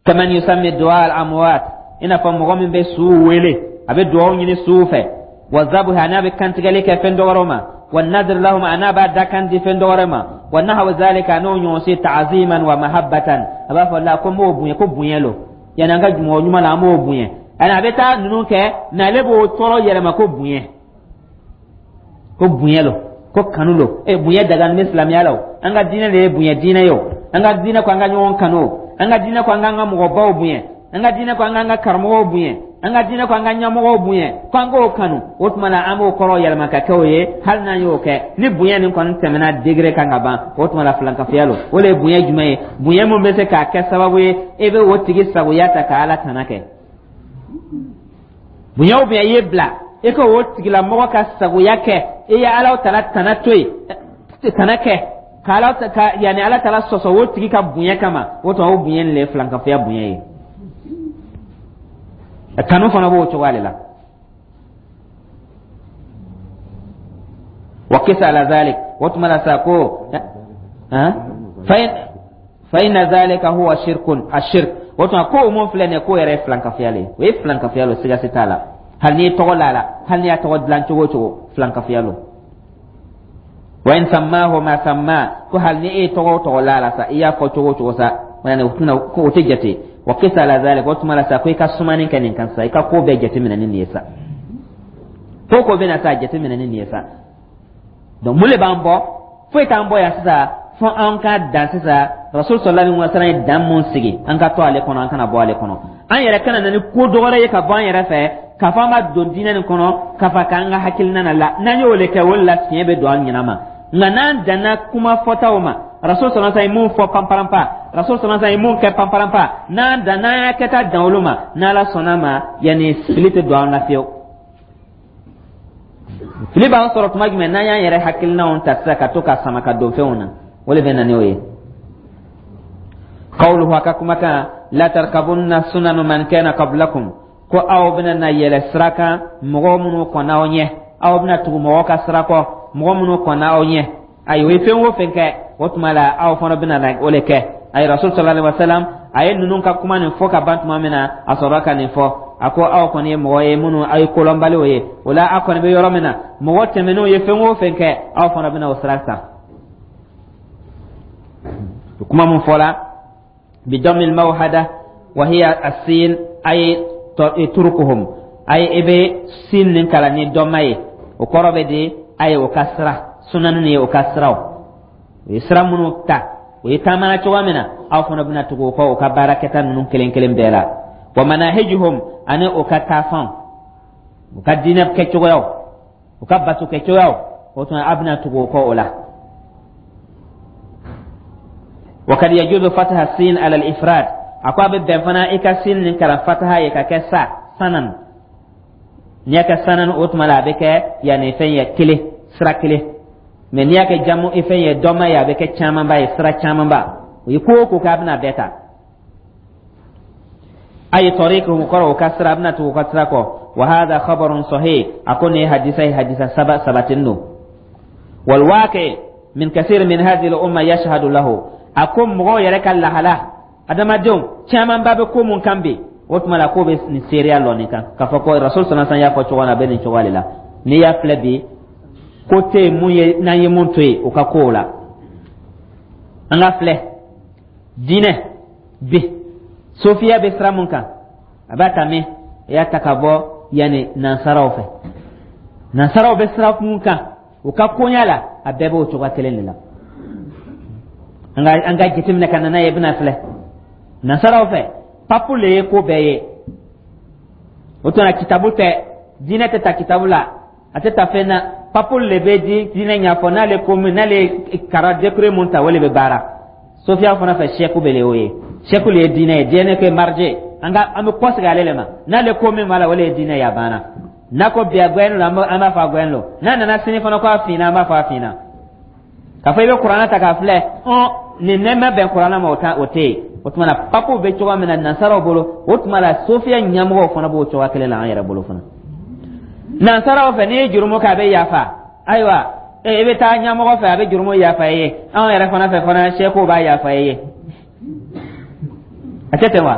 Kaman yusammi du'a al-amwat, i n'a fɔ mɔgɔ min bɛ suw wele, a bɛ dugawu ɲini suw fɛ, wa zabuha, a n'a bɛ kantigɛli kɛ fɛn dɔwɛrɛw ma, wa nadr lahum, a n'a b'a dakan di fɛn dɔwɛrɛ ma, wa nahwa zalika, n'o ɲɔgɔn se, ta'ziman wa mahabbatan. A b'a fɔ la ko n b'o bonya, ko bonya lo, yani an ka mɔgɔ ɲuman la, an b'o bonya. Ani a bɛ taa ninnu kɛ mɛ, ale b'o tɔɔrɔ yɛlɛma ko bonya, ko bonya lo, ko kanu lo. E bonya daga ni silamɛya la o, an ka diinɛ de ye bonya diinɛ ye o. An ka diinɛ ko an ka ɲɔgɔn kanu o, an ka diinɛ ko an k'an ka mɔgɔbaw bonya, an ka diinɛ ko an k'an ka karamɔgɔw bonya, an ka diinɛ ko an ka ɲɛmɔgɔw bonya, ko an k'o kanu. O tuma la, an b'o kɔrɔ yɛlɛma ka kɛ o ye. Hali n'an y'o kɛ, ni bonya nin kɔni tɛmɛna degré kan ka ban, o tuma la filankafoya lo. O de ye bonya jumɛn ye? Bonya mun bɛ se k'a kɛ sababu ye e bɛ o tigi sagoya ta ka Ala tana kɛ. Bonya o bonya i ye bila e ka o tigilamɔgɔ ka sagoya kɛ, e ye Ala tala tana to yen, tana kɛ ka Ala ka, yanni Ala tala sɔsɔ o tigi ka bonya kama, o tuma o bonya nin de ye filankafoya bonya ye. Kanu fana b'o cogoya de la. Wa kisa ala zalik, o tuma la sa ko fa inna zalika huwa shirkun ashirk. O tuma ko o mun filɛ nin ye, k'o yɛrɛ ye filankafoya le ye, o ye filankafoya lo, siga si t'a la. Hali n'i ye tɔgɔ la la, hali n'i y'a tɔgɔ dilan cogo o cogo, filankafoya lo. Wa in sammahu ma samma, ko hali ni e ye tɔgɔ o tɔgɔ la la sa, i y'a fɔ cogo o cogo sa, yani o tɛna ko o tɛ jate. Wa kisa ala zalik, o tuma la sa ko i ka sumani kɛ nin kan sa, i ka ko bɛɛ jateminɛ ni nin ye sa, ko ko bɛna sa jateminɛ ni nin ye sa. Donc mun de b'an bɔ? Foyi t'an bɔ yan sisan fo an ka dan sisan. Rasul sallallahu alaihi wasallam ye dan mun sigi, an ka to ale kɔnɔ, an kana bɔ ale kɔnɔ. An yɛrɛ kana na ni ko dɔ wɛrɛ ye ka bɔ an yɛrɛ fɛ k'a fɔ an b'a don diinɛ nin kɔnɔ, k'a fɔ k'an ka hakilina na la. N'an y'o de kɛ, o de la fiɲɛ bɛ don an ɲɛna ma. Nka n'an danna kuma fɔtaw ma, Rasul sallallahu alaihi wasallam ye mun fɔ panparanpa, Rasul sallallahu alaihi wasallam ye mun kɛ panparanpa, n'an dan n'an y'a kɛta dan olu ma, n'Ala sɔnna ma, yanni fili tɛ don an na fiyewu. Fili b'an sɔrɔ tuma jumɛn? N'an y'an yɛrɛ hakilinaw ta sisan ka to ka sama ka don fɛnw na, o de bɛ na n'o ye. Qawluhu, a ka kumakan, la tarkabunna sunanu man kana qablakum, ko aw bɛna na yɛlɛ sira kan mɔgɔ minnu kɔnna aw ɲɛ, aw bɛna tugu mɔgɔ ka sira kɔ, mɔgɔ minnu kɔnna aw ɲɛ. Ayi, o ye fɛn o fɛn kɛ, o tuma la aw fana bɛna na o de kɛ. Ayi, Rasul sallallahu alaihi wasallam a ye ninnu ka kuma nin fɔ ka ban tuma min na, a sɔrɔla ka nin fɔ. A ko aw kɔni ye mɔgɔ ye minnu aw ye kolɔnbaliw ye, o la aw kɔni bɛ yɔrɔ min na, mɔgɔ tɛmɛnenw ye fɛn o fɛn kɛ, aw fana bɛna o sira ta. Kuma mun fɔla, bidamil mawhada wa hiya asin, ay turukuhum, ay i bɛ sin nin kalan ni dɔma ye, o kɔrɔ bɛ di a ye o ka sira sunani ye, o ka siraw, o ye sira minnu ta, o ye taamana cogoya min na, aw fana bɛna tugu o kɔ, o ka baarakɛta ninnu kelen kelen bɛɛ la. Wa manahijuhum, ani o ka taafan, o ka diinɛ kɛcogoyaw, o ka bato kɛcogoyaw, o tuma aw bɛna tugu o kɔ o la. Wa kad yajuzu fataha sin ala al-ifrad, a ko a bɛ bɛn fana i ka sin nin kalan fataha ye ka kɛ sa sanan. N'i y'a kɛ sanan, o tuma la a bɛ kɛ yanni fɛn ye kelen, sira kelen. Mɛ n'i y'a kɛ jamu fɛn ye dɔma ye, a bɛ kɛ camanba ye, sira camanba. O ye ko o ko kɛ, a bɛna bɛɛ ta. Ay tariqihum, kɔrɔ o ka sira, a bɛna tugu o ka sira kɔ. Wa hadha khabarun sahih, a ko nin ye hadisa ye, hadisa saba sabatinin don. Wal waqi min kathir min hadhihi al umma yashhadu lahu, a ko mɔgɔw yɛrɛ ka lahala, adamadenw camanba bɛ ko mun kan bi, o tuma la k'o bɛ nin seereya lɔ nin kan k'a fɔ ko Rasul sallallahu alaihi wasallam y'a fɔ cogo min na, a bɛ nin cogoya de la. N'i y'a filɛ bi, ko tɛ yen mun ye n'an ye mun to yen o ka kow la. An ka filɛ diinɛ bi. Sofiya bɛ sira mun kan, a b'a ta min, i y'a ta ka bɔ yanni nansaraw fɛ. Nansaraw bɛ sira mun kan u ka koɲa la, a bɛɛ b'o cogoya kelen de la. an ka an ka jateminɛ ka na n'a ye, i bɛna filɛ, nansaraw fɛ, papu le ye ko bɛɛ ye. O tuma kitabu tɛ, diinɛ tɛ ta kitabu la, a tɛ ta fɛn na. Papu le bɛ di diinɛ ɲɛfɔ. N'ale ko min, n'ale kara décret mun ta, o le bɛ baara. Sofiya fana fɛ, sɛku bɛ le y'o ye, sɛku le ye diinɛ ye, diinɛ kɛ marje. An ka an bɛ kɔsegin ale le ma. N'ale ko min b'a la, o le ye diinɛ ye, a banna. N'a ko bi a gbɛn lo, an b'a fɔ a gbɛn lo. N'a nana sini fana ko a finna, an b'a fɔ a finna. K'a fɔ i bɛ kuranɛ ta k'a filɛ, ɔn, nin ne ma bɛn kuranɛ ma, o ta o tɛ yen. O tuma na, papuw bɛ cogoya min na nansaraw bolo, o tuma la sofiya ɲɛmɔgɔw fana b'o cogoya kelen la an yɛrɛ bolo fana. Nansaraw fɛ, n'i ye jurumu kɛ, a bɛ yafa. Ayiwa, i bɛ taa ɲɛmɔgɔ fɛ, a bɛ jurumu yafa i ye. Anw yɛrɛ fana fɛ fana, sɛkow b'a yafa i ye. A tɛ ten wa?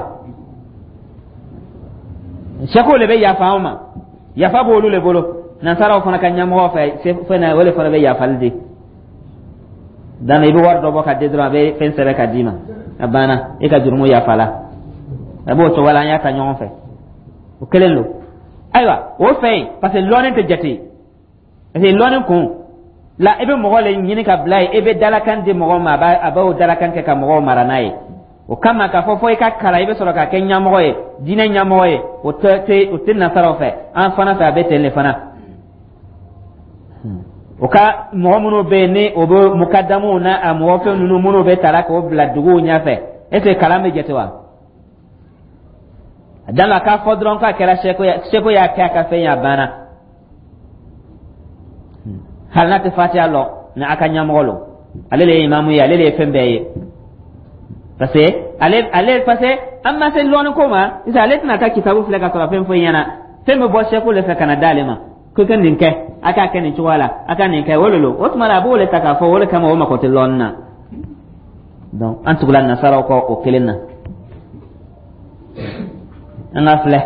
Sɛkow de bɛ yafa anw ma, yafa b'olu de bolo. Nansaraw fana ka ɲɛmɔgɔ fɛ fɛn na, o de fana bɛ yafali di dan. I bɛ wari dɔ bɔ ka di dɔrɔn, a bɛ fɛn sɛbɛn ka d'i ma, a banna, e ka jurumu yafala. A b'o cogo la, an y'a ta ɲɔgɔn fɛ, o kelen don. Ayiwa, o fɛ yen, parce que lɔnni tɛ jate, parce que lɔnni kun la, i bɛ mɔgɔ le ɲini ka bila yen, i bɛ dalakan di mɔgɔw ma, a b'o dalakan kɛ ka mɔgɔw mara n'a ye. O kama, k'a fɔ fo i ka kalan, i bɛ sɔrɔ ka kɛ ɲɛmɔgɔ ye, diinɛ ɲɛmɔgɔ ye, o tɛ o tɛ nasaraw fɛ. An fana fɛ, a bɛ ten de fana. O ka mɔgɔ minnu bɛ yen, ni o bɛ mukadamuw n'a a mɔgɔ fɛn ninnu minnu bɛ tala k'o bila duguw ɲɛfɛ, est ce que kalan bɛ jate wa? A dan la k'a fɔ dɔrɔn k'a kɛra seko ye, seko y'a kɛ a ka fɛn ye, a banna. Hali n'a tɛ fatiya lɔ, ni a ka ɲɛmɔgɔ lo, ale de ye imamu ye, ale de ye fɛn bɛɛ ye, parce que ale ale parce que an ma se lɔnni ko ma sisan. Ale tɛna taa kitabu filɛ ka sɔrɔ fɛn foyi ɲɛna. Fɛn bɛ bɔ seko de fɛ ka na d'ale ma ko ka nin kɛ, a k'a kɛ nin cogoya la, a ka nin kɛ, o de lo. O tuma la, a b'o de ta k'a fɔ. O de kama, o mako tɛ lɔnni na. Donc an tugula nasaraw kɔ o kelen na. An ka filɛ,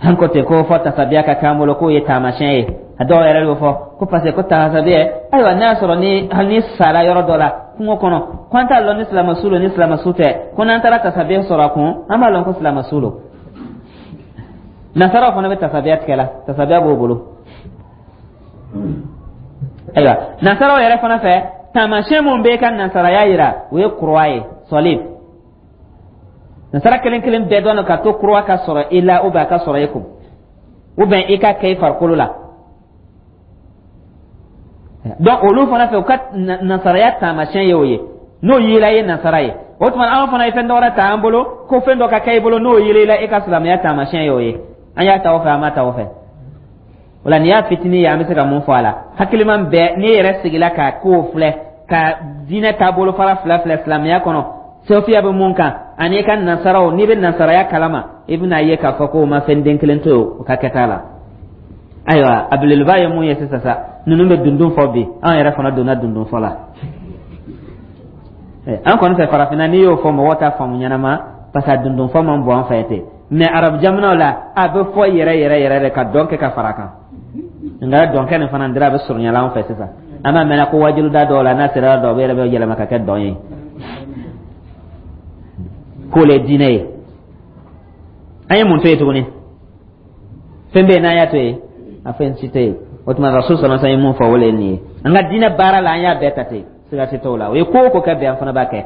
an ko ten ko fɔ tasabiya ka k'an bolo k'o ye taamasiyɛn ye. A dɔw yɛrɛ b'o fɔ ko parce que ko tasabiya, ayiwa, n'a y'a sɔrɔ ni hali ni sara yɔrɔ dɔ la kungo kɔnɔ, ko an t'a lɔn ni silamɛ su don ni silamɛ su tɛ, ko n'an taara tasabiya sɔrɔ a kun, an b'a lɔn ko silamɛ su don. Nasaraw fana bɛ tasabiya tigɛ la, tasabiya b'o bolo. Ayiwa, nasaraw yɛrɛ fana fɛ, taamasiyɛn mun b'e ka nasaraya yira, o ye croix ye, salib. Nasara kelen kelen bɛɛ dɔn ka to croix ka sɔrɔ i la, ou bien a ka sɔrɔ i kun, ou bien i ka kɛ i farikolo la. Donc olu fana fɛ, u ka nasaraya taamasiyɛn ye o ye. N'o yera, i ye nasara ye. O tuma, anw fana ye fɛn dɔ wɛrɛ ta an bolo ko fɛn dɔ ka kɛ i bolo, n'o yera i la, e ka silamɛya taamasiyɛn ye o ye. An y'a ta o fɛ, an ma ta o fɛ. O la, nin y'a fitinin ye, an bɛ se ka mun fɔ a la? Hakiliman bɛɛ, n'i yɛrɛ sigila ka kow filɛ, ka diinɛ taabolo fara fila filɛ silamɛya kɔnɔ, sofiya bɛ mun kan ani i ka nasaraw, n'i bɛ nasaraya kalama, i bɛna ye k'a fɔ ko o ma fɛn den kelen to yen o ka kɛta la. Ayiwa, a belebeleba ye mun ye sisan sa? Ninnu bɛ dundun fɔ bi, anw yɛrɛ fana donna dundun fɔ la. An kɔni fɛ farafinna, n'i y'o fɔ, mɔgɔw t'a faamu ɲɛnama, parce que a dundun fɔ man bon an fɛ ten. Mais arabu jamanaw la, a bɛ fɔ yɛrɛ yɛrɛ yɛrɛ de ka dɔn kɛ ka fara kan. Nka dɔnkɛ nin fana dira, a bɛ surunyala an fɛ sisan. An b'a mɛnna ko wajiluda dɔw la, n'a sera dɔw bɛ yɛrɛ bɛ yɛlɛma ka kɛ dɔn ye, k'o le ye diinɛ ye. An ye mun to yen tuguni? Fɛn bɛ yen n'an y'a to yen, a fɛn si tɛ yen. O tuma, rasul sɔrɔ ye mun fɔ, o le ye nin ye. An ka diinɛ baara la, an y'a bɛɛ ta ten, siga tɛ t'o la. O ye ko o ko kɛ bi, an fana b'a kɛ.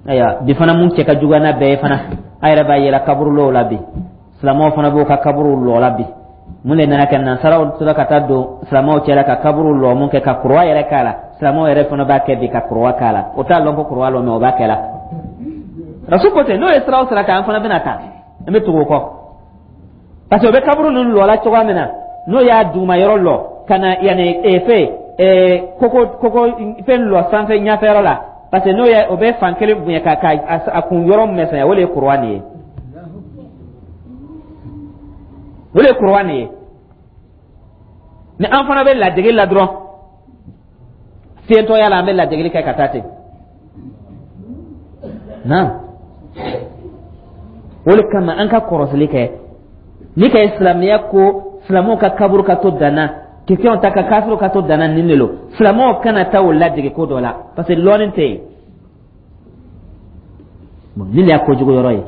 Ayiwa, bi fana, mun cɛ ka juguya n'a bɛɛ ye fana, a yɛrɛ b'a yɛlɛ kaburulow la bi. Silamɛw fana b'o ka kaburuw lɔ la bi. Mun de nana kɛ? Nansaraw tora ka taa don silamɛw cɛla ka kaburu lɔ mun kɛ ka kuruwa yɛrɛ k'a la, silamɛw yɛrɛ fana b'a kɛ bi ka kuruwa k'a la. O t'a lɔn ko kuruwa lɔ mɛ, o b'a kɛ la. Rasul ko ten, n'o ye sira o sira kan, an fana bɛna taa, an bɛ tugu o kɔ, parce que o bɛ kaburu ninnu lɔ la cogoya min na, n'o y'a duguma yɔrɔ lɔ ka na yanni ee fɛn ee koko koko fɛn lɔ sanfɛ ɲɛfɛ yɔrɔ la, parce que n'o ye o bɛ fan kelen bonya ka ka a kun yɔrɔ misɛnya, o de ye kuruwa nin ye, o de ye kuruwa nin ye. Ni an fana bɛ ladege la dɔrɔn, fiyentɔya la, an bɛ ladegeli kɛ ka taa ten na. O de kama, an ka kɔrɔsili kɛ ni ka silamɛya ko silamɛw ka kaburu ka to danna, kerecɛnw ta ka kafiriw ka to danna, nin de lo. Silamɛw kana taa o ladege ko dɔ la, parce que lɔnni tɛ yen. Bon, nin de y'a kojugu yɔrɔ ye.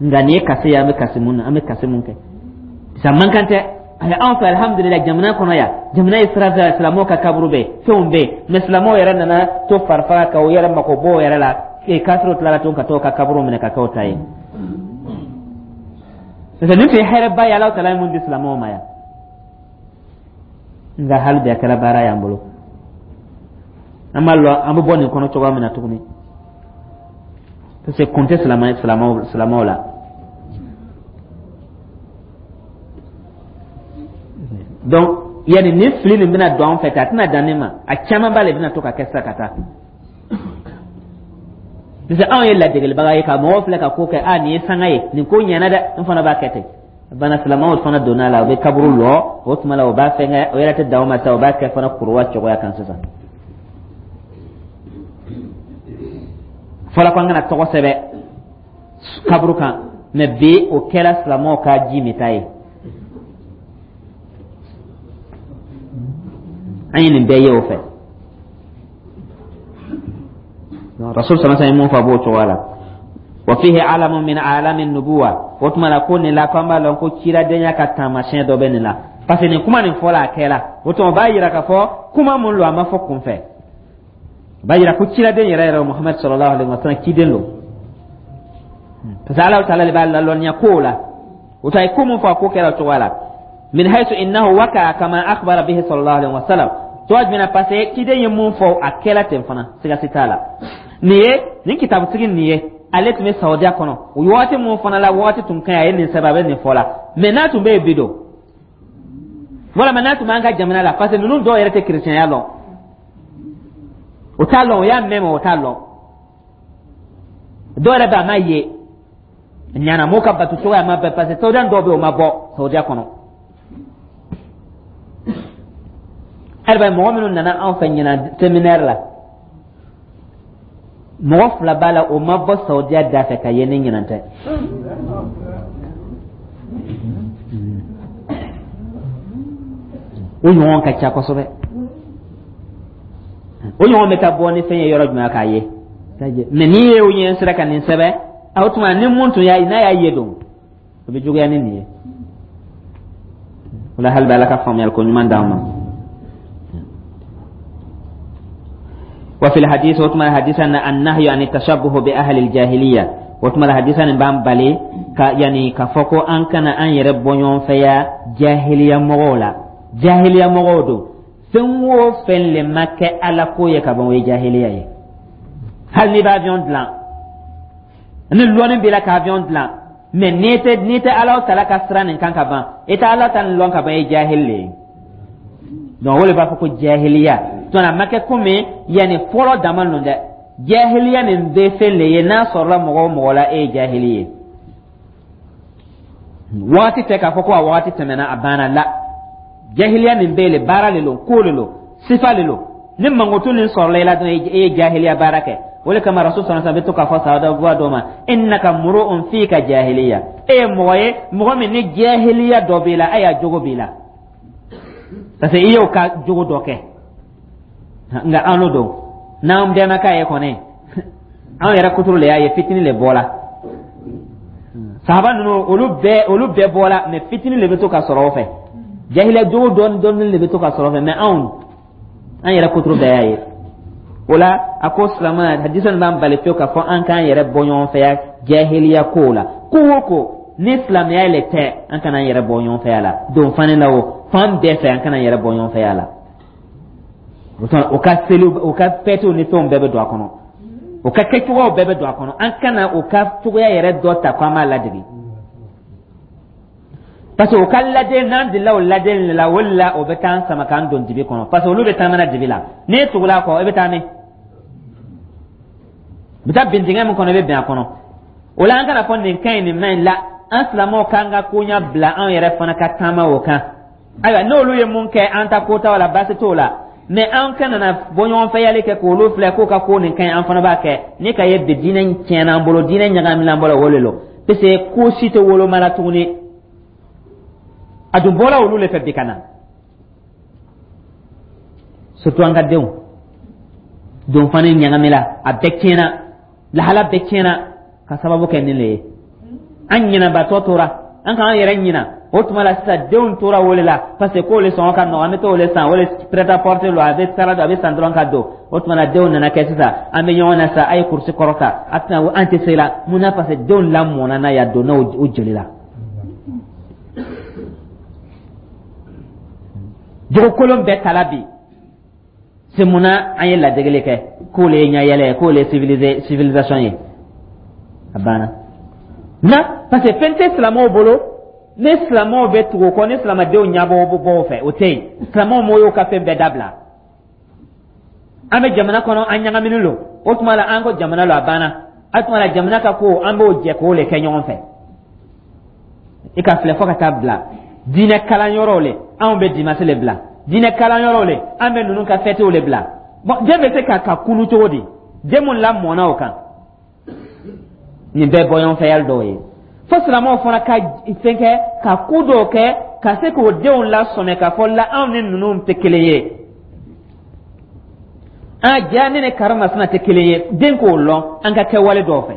Nka nin ye kasi ye, an bɛ kasi mun na? An bɛ kasi mun kɛ sa man kan tɛ. Ayi, anw fɛ, alihamudulila, jamana kɔnɔ yan, jamana ye sira fɛ, silamɛw ka kaburu bɛ yen, fɛnw bɛ yen. Mɛ silamɛw yɛrɛ nana to farifaga ka u yɛrɛ mako bɔ o yɛrɛ la. Ee, kafiriw tilala tuguni ka t'o ka kaburu minɛ ka k'o ta ye, parce que nin tun ye hɛrɛba ye Alahu taala ye mun di silamɛw ma yan. Nka hali bi a kɛra baara y'an bolo. An b'a lɔn an bɛ bɔ nin kɔnɔ cogoya min na tuguni, parce que kun tɛ silamɛ silamɛw silamɛw la. Donc yanni ni fili nin bɛna don an fɛ ten, a tɛna dan nin ma, a caman b'a la bɛna to ka kɛ sisan ka taa, parce que anw ye ladegelibaga ye ka mɔgɔw filɛ ka ko kɛ. A nin ye sanga ye, nin ko ɲɛna dɛ, n fana b'a kɛ ten. Bana silamɛw fana donna a la, u bɛ kaburu lɔ o tuma la, u b'a fɛnkɛ, o yɛrɛ tɛ dan o ma sa, u b'a kɛ fana kuruwa cogoya kan sisan. Fɔlɔ ko an kana tɔgɔ sɛbɛn kaburu kan, mɛ bi o kɛra silamɛw ka ji min ta ye. An ye nin bɛɛ ye o fɛ. Rasul sallallahu alaihi wasallam mun fɔ a b'o cogoya la. Wa fihi alamun min alami nubuwa. O tuma la ko nin la ko an b'a lɔn ko ciradenya ka taamasiyɛn dɔ bɛ nin la, parce que nin kuma nin fɔla, a kɛra. O tuma o b'a yira k'a fɔ kuma mun don, a ma fɔ kunfɛ. O b'a yira ko ciraden yɛrɛ yɛrɛ, Muhamadu sallallahu alaihi wasallam, ciden don, parce que Ala taala de b'a lalɔnniya kow la. O to a ye ko mun fɔ, a ko kɛra o cogoya la. Min haythu innahu waka kama akhbara bihi sallallahu alaihi wasallam. Cogoya jumɛn na? Parce que ciden ye mun fɔ, a kɛla ten fana, siga si t'a la. Nin ye nin kitabutigi nin ye, ale tun bɛ Saudiya kɔnɔ o waati mun fana la, waati tun ka ɲi, a ye nin sɛbɛn, a bɛ nin fɔ la. Mɛ n'a tun bɛ yen bi don, walima n'a tun b'an ka jamana la, parce que ninnu dɔw yɛrɛ tɛ kerecɛnya lɔn, o t'a lɔn, o y'a mɛn, mɛ o t'a lɔn. Dɔw yɛrɛ bɛ a ma ye ɲana m'o ka bato cogoya ma bɛn, parce que Saudiya dɔw bɛ yen, o ma bɔ Saudiya kɔnɔ. Hali mɔgɔ minnu nana anw fɛ ɲinan séminaire la, mɔgɔ fila b'a la, o ma bɔ Saudiya da fɛ ka ye ni ɲinan tɛ. O ɲɔgɔn ka ca kosɛbɛ. O ɲɔgɔn bɛ taa bɔ ni fɛn ye yɔrɔ jumɛn k'a ye? Mɛ n'i ye o ɲɛ sera ka nin sɛbɛn, o tuma ni mun tun y'a ye, n'a y'a ye don, o bɛ juguya ni nin ye. O la hali bɛ Ala ka faamuyali ko ɲuman d'an ma. وفي الحديث وتما حديثا النهي عن التشبه بأهل الجاهلية. وتما حديثا بان بالي ka yani ka fɔ ko an kana an yɛrɛ bɔ ɲɔgɔn fɛ ya jahiliya mɔgɔw la. Jahiliya mɔgɔw don, fɛn o fɛn le ma kɛ Ala ko ye ka ban, o ye jahiliya ye. Hali n'i bɛ avion dilan, ni lɔnni b'i la ka avion dilan, mɛ n'i tɛ n'i tɛ Ala tala ka sira nin kan ka ban, i tɛ Ala ta nin lɔn ka ban, i ye jahili le ye. Donc o de b'a fɔ ko jahiliya tɔn a ma kɛ komi yanni fɔlɔ dama ninnu dɛ. Jahiliya nin bɛ fɛn le ye, n'a sɔrɔla mɔgɔ o mɔgɔ la, e ye jahili ye. Waati tɛ k'a fɔ ko a waati tɛmɛna, a banna la. Jahiliya nin bɛ le, baara le lo, ko le lo, sifa le lo. Ni mankutu nin sɔrɔla i la dɔrɔn, e ye jahiliya baara kɛ. O de kama Rasul sallallahu alaihi wasallam bɛ to k'a fɔ sahaba dɔw ma: innaka muru'un fika jahiliya. E ye mɔgɔ ye, mɔgɔ min ni jahiliya dɔ b'i la, a y'a jogo b'i la, parce que i y'o ka jogo dɔ kɛ. Nka an n'o don, n'an bɛɛ ma k'a ye kɔni, anw yɛrɛ kuturu le y'a ye, fitinin le bɔla. Sahaba ninnu, olu bɛɛ olu bɛɛ bɔla, mɛ fitinin le bɛ to ka sɔrɔ o fɛ, jahiliya jogo dɔɔni dɔɔni le bɛ to ka sɔrɔ o fɛ. Mɛ anw an yɛrɛ kuturu bɛɛ y'a ye. O la a ko silamɛ, hadisa nin b'an bali fiyewu k'a fɔ an k'an yɛrɛ bɔ ɲɔgɔn fɛ ya jahiliya kow la. Ko o ko ni silamɛya le tɛ, an kana an yɛrɛ bɔ ɲɔgɔn fɛ ya la. Don fani la, o fan bɛɛ fɛ, an kana an yɛrɛ bɔ ɲɔgɔn fɛ ya la. O ka seli, o ka fɛtiw ni fɛnw bɛɛ bɛ don a kɔnɔ, o ka kɛcogoyaw bɛɛ bɛ don a kɔnɔ. An kana o ka cogoya yɛrɛ dɔ ta ko an b'a ladege, parce que o ka lajɛ, n'an delila o lajɛli de la, o de la o bɛ taa an sama k'an don dibi kɔnɔ, parce que olu bɛ taamana dibi la. N'e tugula a kɔ, e bɛ taa min? U bɛ taa bin dingɛ min kɔnɔ, i bɛ bin a kɔnɔ. O la an kana fɔ nin ka ɲi, nin man ɲi la. An silamɛw k'an ka koɲa bila, anw yɛrɛ fana ka taama o kan. Ayiwa, n'olu ye mun kɛ, an ta ko t'o la, baasi t'o la. Mɛ an kana na bɔ ɲɔgɔn fɛ yali kɛ k'olu filɛ k'o ka ko nin ka ɲi, an fana b'a kɛ. Ni ka ye bi diinɛ tiɲɛna an bolo, diinɛ ɲagamina an bolo, o de lo, parce que ko si tɛ woloma la tuguni. A dun bɔra olu le fɛ bi ka na, surtout an ka denw donfani ɲagamila, a bɛɛ tiɲɛna, lahala bɛɛ tiɲɛna. Ka sababu kɛ nin le ye, an ɲinɛbatɔ tora, an k'an yɛrɛ ɲina. O tuma la sisan, denw tora o de la, parce que k'o le sɔngɔ ka nɔgɔn, an bɛ t'o le san, o le prêt à porter lo, a bɛ sara don, a bɛ san dɔrɔn ka don. O tuma la, denw nana kɛ sisan, an bɛ ɲɔgɔn na sisan, a ye kurusi kɔrɔta, a tɛna, an tɛ se la. Mun na? Parce que denw lamɔna n'a ye, a donna o joli la. Jogo kolon bɛɛ tala bi se. Mun na an ye ladegeli kɛ k'o le ye ɲɛyɛlɛ ye, k'o le ye civilisé, civilisation ye? A banna na, parce que fɛn tɛ silamɛw bolo. Ni silamɛw bɛ tugu o kɔ, ni silamɛdenw ɲɛbɔ bɔ o fɛ, o tɛ yen. Silamɛw m'o y'o ka fɛn bɛɛ dabila. An bɛ jamana kɔnɔ, an ɲagaminen don. O tuma la, an ko jamana lo, a banna. A tuma la, jamana ka ko, an b'o jɛ k'o le kɛ ɲɔgɔn fɛ. I ka filɛ, fo ka taa bila diinɛ kalanyɔrɔw le, anw bɛ dimanche le bila diinɛ kalanyɔrɔw le, an bɛ ninnu ka fɛtew le bila. Bon, den bɛ se ka ka kunu cogo di, den mun lamɔna o kan? Nin bɛɛ bɔɲɔgɔnfɛyali dɔw ye. Fo silamɛw fana ka fɛn kɛ, ka ko dɔw kɛ ka se k'o denw lasɔmɛ k'a fɔ la, anw ni ninnu tɛ kelen ye, an ja ne ni karimasina tɛ kelen ye. Den k'o lɔn an ka kɛwale dɔw fɛ,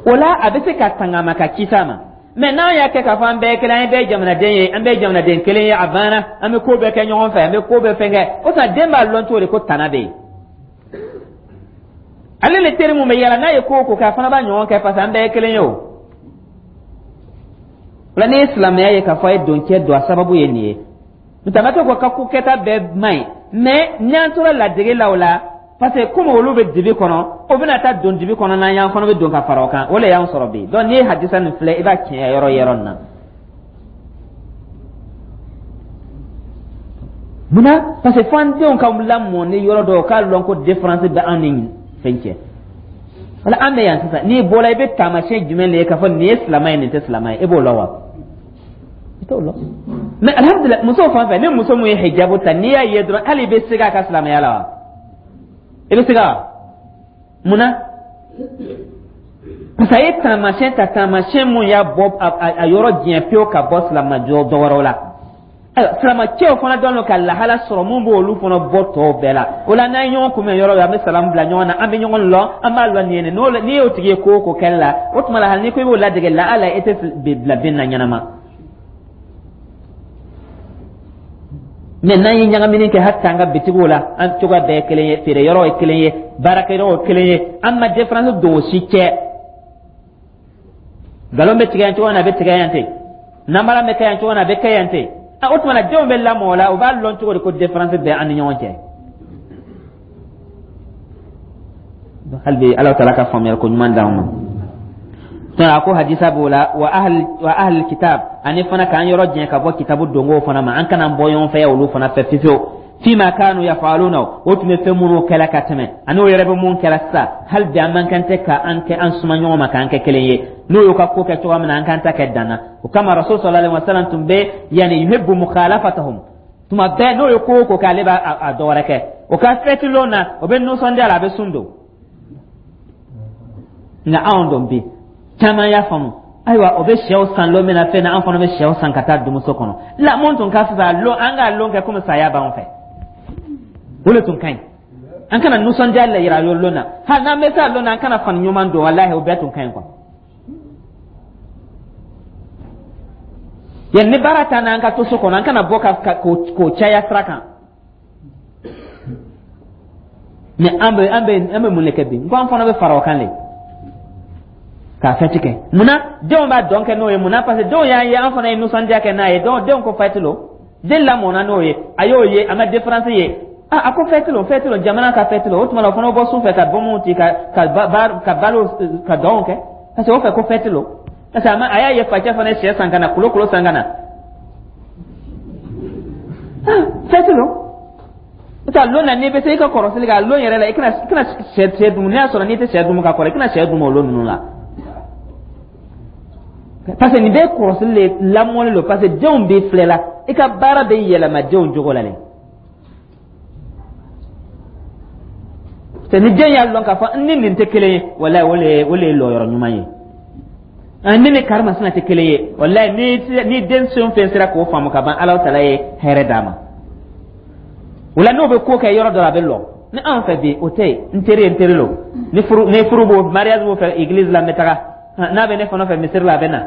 o la a bɛ se ka tanga ma, ka kisi a ma. Mɛ n'an y'a kɛ k'a fɔ an bɛɛ ye kelen, an bɛɛ ye jamanaden ye, an bɛɛ ye jamanaden kelen ye, a banna, an bɛ ko bɛɛ kɛ ɲɔgɔn fɛ, an bɛ ko bɛɛ fɛn kɛ, o tuma den b'a lɔn cogo di ko tana bɛ yen? Ale le teri mun bɛ yala, n'a ye ko o ko kɛ, a fana b'a ɲɔgɔn kɛ, parce que an bɛɛ ye kelen ye. O la, n'i ye silamɛya ye k'a fɔ a ye don cɛ don, a sababu ye nin ye. N'o tɛ, a ma kɛ ko ka ko kɛta bɛɛ man ɲi, mɛ n'an tora ladege la, o la, parce que komi olu bɛ dibi kɔnɔ, o bɛna taa don dibi kɔnɔ, n'an y'an fana bɛ don ka fara o kan, o le y'an sɔrɔ bi. Donc n'i ye hadisa nin filɛ, i b'a tiɲɛ yɔrɔ yɔrɔ nin na. Munna? Parce que fo an denw ka lamɔ ni yɔrɔ dɔw k'a lɔn ko différence bɛ an ni fɛn cɛ. Wala an bɛ yan sisan, n'i bɔra, i bɛ taamasiyɛn jumɛn de ye k'a fɔ nin ye silamɛ ye, nin tɛ silamɛ ye? E b'o lɔn wa? I t'o lɔn. Mɛ alihamudulila, musow fan fɛ, ni muso mun ye hijabu ta, n'i y'a ye dɔrɔn, hali i bɛ siga a ka silamɛya la wa? I bɛ siga wa? Mun na? Parce que a ye taamasiyɛn ta, taamasiyɛn mun y'a bɔ a yɔrɔ diɲɛ pewu ka bɔ silamɛ dɔ wɛrɛw la. Ayiwa, silamɛcɛw fana dɔn ka lahala sɔrɔ mun b'olu fana bɔ tɔw bɛɛ la. O la, n'an ye ɲɔgɔn kunbɛn yɔrɔ an bɛ salamu bila ɲɔgɔn na, an bɛ ɲɔgɔn lɔn, an b'a lɔn nin ye nin. N'i y'o tigi ye ko o ko kɛli la, o tuma la, hali n'i ko i b'o ladege la, ala e tɛ bila bin na ɲɛnama. Mɛ n'an ye ɲagamini kɛ, hali an ka bitigiw la, an cogoya bɛɛ ye kelen ye, feere yɔrɔ ye kelen ye, baarakɛyɔrɔ ye kelen ye, an ma différence don o si cɛ. Nkalon bɛ tigɛ yan cogo min na, a bɛ tigɛ yan ten. Namara bɛ kɛ yan cogo min na, a bɛ kɛ yan ten. O tuma na, denw bɛ lamɔ o la, u b'a lɔn cogo di ko différence bɛ an ni ɲɔgɔn cɛ? Hali bi, Ala taala ka faamuyali ko ɲuman d'an ma. A ko hadisa b'o la wa ahli wa ahli kitab, ani fana k'an yɔrɔ jɛn ka bɔ kitabu dongow fana ma, an kana bɔ ɲɔgɔn fɛ olu fana fɛ fiyewu. Fima kanu yafaluna, o tun bɛ fɛn minnu kɛla ka tɛmɛ, ani o yɛrɛ bɛ mun kɛla sisan. Hali bi, an man kan tɛ ka an kɛ an suma ɲɔgɔn ma, k'an kɛ kelen ye. N'o y'u ka ko kɛ cogoya min na, an k'an ta kɛ dan na. O kama, Rasul sallallahu alaihi wasallam tun bɛ yani yuhibbu mukhalafatahum. Tuma bɛɛ, n'o ye ko o ko kɛ, ale b'a a dɔ wɛrɛ kɛ. O ka fɛti lon na, o bɛ nisɔndiya la, a bɛ sun don. Nka anw dɔn bi, caman y'a faamu. Ayiwa, o bɛ sɛw san lon min na fɛn na, an fana bɛ sɛw san ka taa dumuso kɔnɔ la. Mun tun ka fisa lon, an k'a lon kɛ komi saya b'an fɛ, o de tun ka ɲi. An kana nisɔndiya la yira lon na, hali n'an bɛ se a lon na, an kana fani ɲuman don. Walahi, o bɛɛ tun ka ɲi kuwa. Yan ni baara t'an na, an ka to so kɔnɔ, an kana bɔ ka k'o caya sira kan. Mɛ an bɛ an bɛ an bɛ mun de kɛ bi? N ko an fana bɛ fara o kan de k'a fɛti kɛ. Munna denw b'a dɔn kɛ n'o ye? Munna? Parce que denw y'an ye, an fana ye nisɔndiya kɛ n'a ye. Donc denw ko fɛti lo, den lamɔna n'o ye, a y'o ye, a ma différence ye. A ko fɛti lo, fɛti lo, jamana ka fɛti lo. O tuma na, o fana bɔ su fɛ ka bɔnbɔnw ci, ka ka ba ka balo, ka dɔnw kɛ, parce que o fɛ ko fɛti lo, parce que a ma a y'a ye facɛ fana ye sɛ san ka na, kulo kulo san ka na, fɛti lo. N'o lon na, n'i bɛ se i ka kɔrɔsili kɛ a lon yɛrɛ la, i kana i kana sɛ sɛ dun. N'i y'a sɔrɔ n'i tɛ sɛ dun ka kɔrɔ, i kana sɛ dun o lon ninnu la, parce que nin bɛɛ kɔrɔsili le, lamɔli lo, parce que denw b'i filɛ la, i ka baara bɛ yɛlɛma denw jogo la le. Ni den y'a lɔn k'a fɔ n ni nin tɛ kelen ye, walayi, o le o le ye lɔyɔrɔ ɲuman ye. Ni ni karimasina tɛ kelen ye, walayi, ni ni den fɛn fɛn sera k'o faamu ka ban, Ala tala ye hɛrɛ d'a ma. O la, n'o bɛ ko kɛ yɔrɔ dɔ la, a bɛ lɔ. Ni anw fɛ bi, o tɛ yen. N teri ye n teri lo. Ni furu ni furu b'o, mariage b'o fɛ église la, n bɛ taga. N'a bɛ ne fana fɛ misiri la, a bɛ na.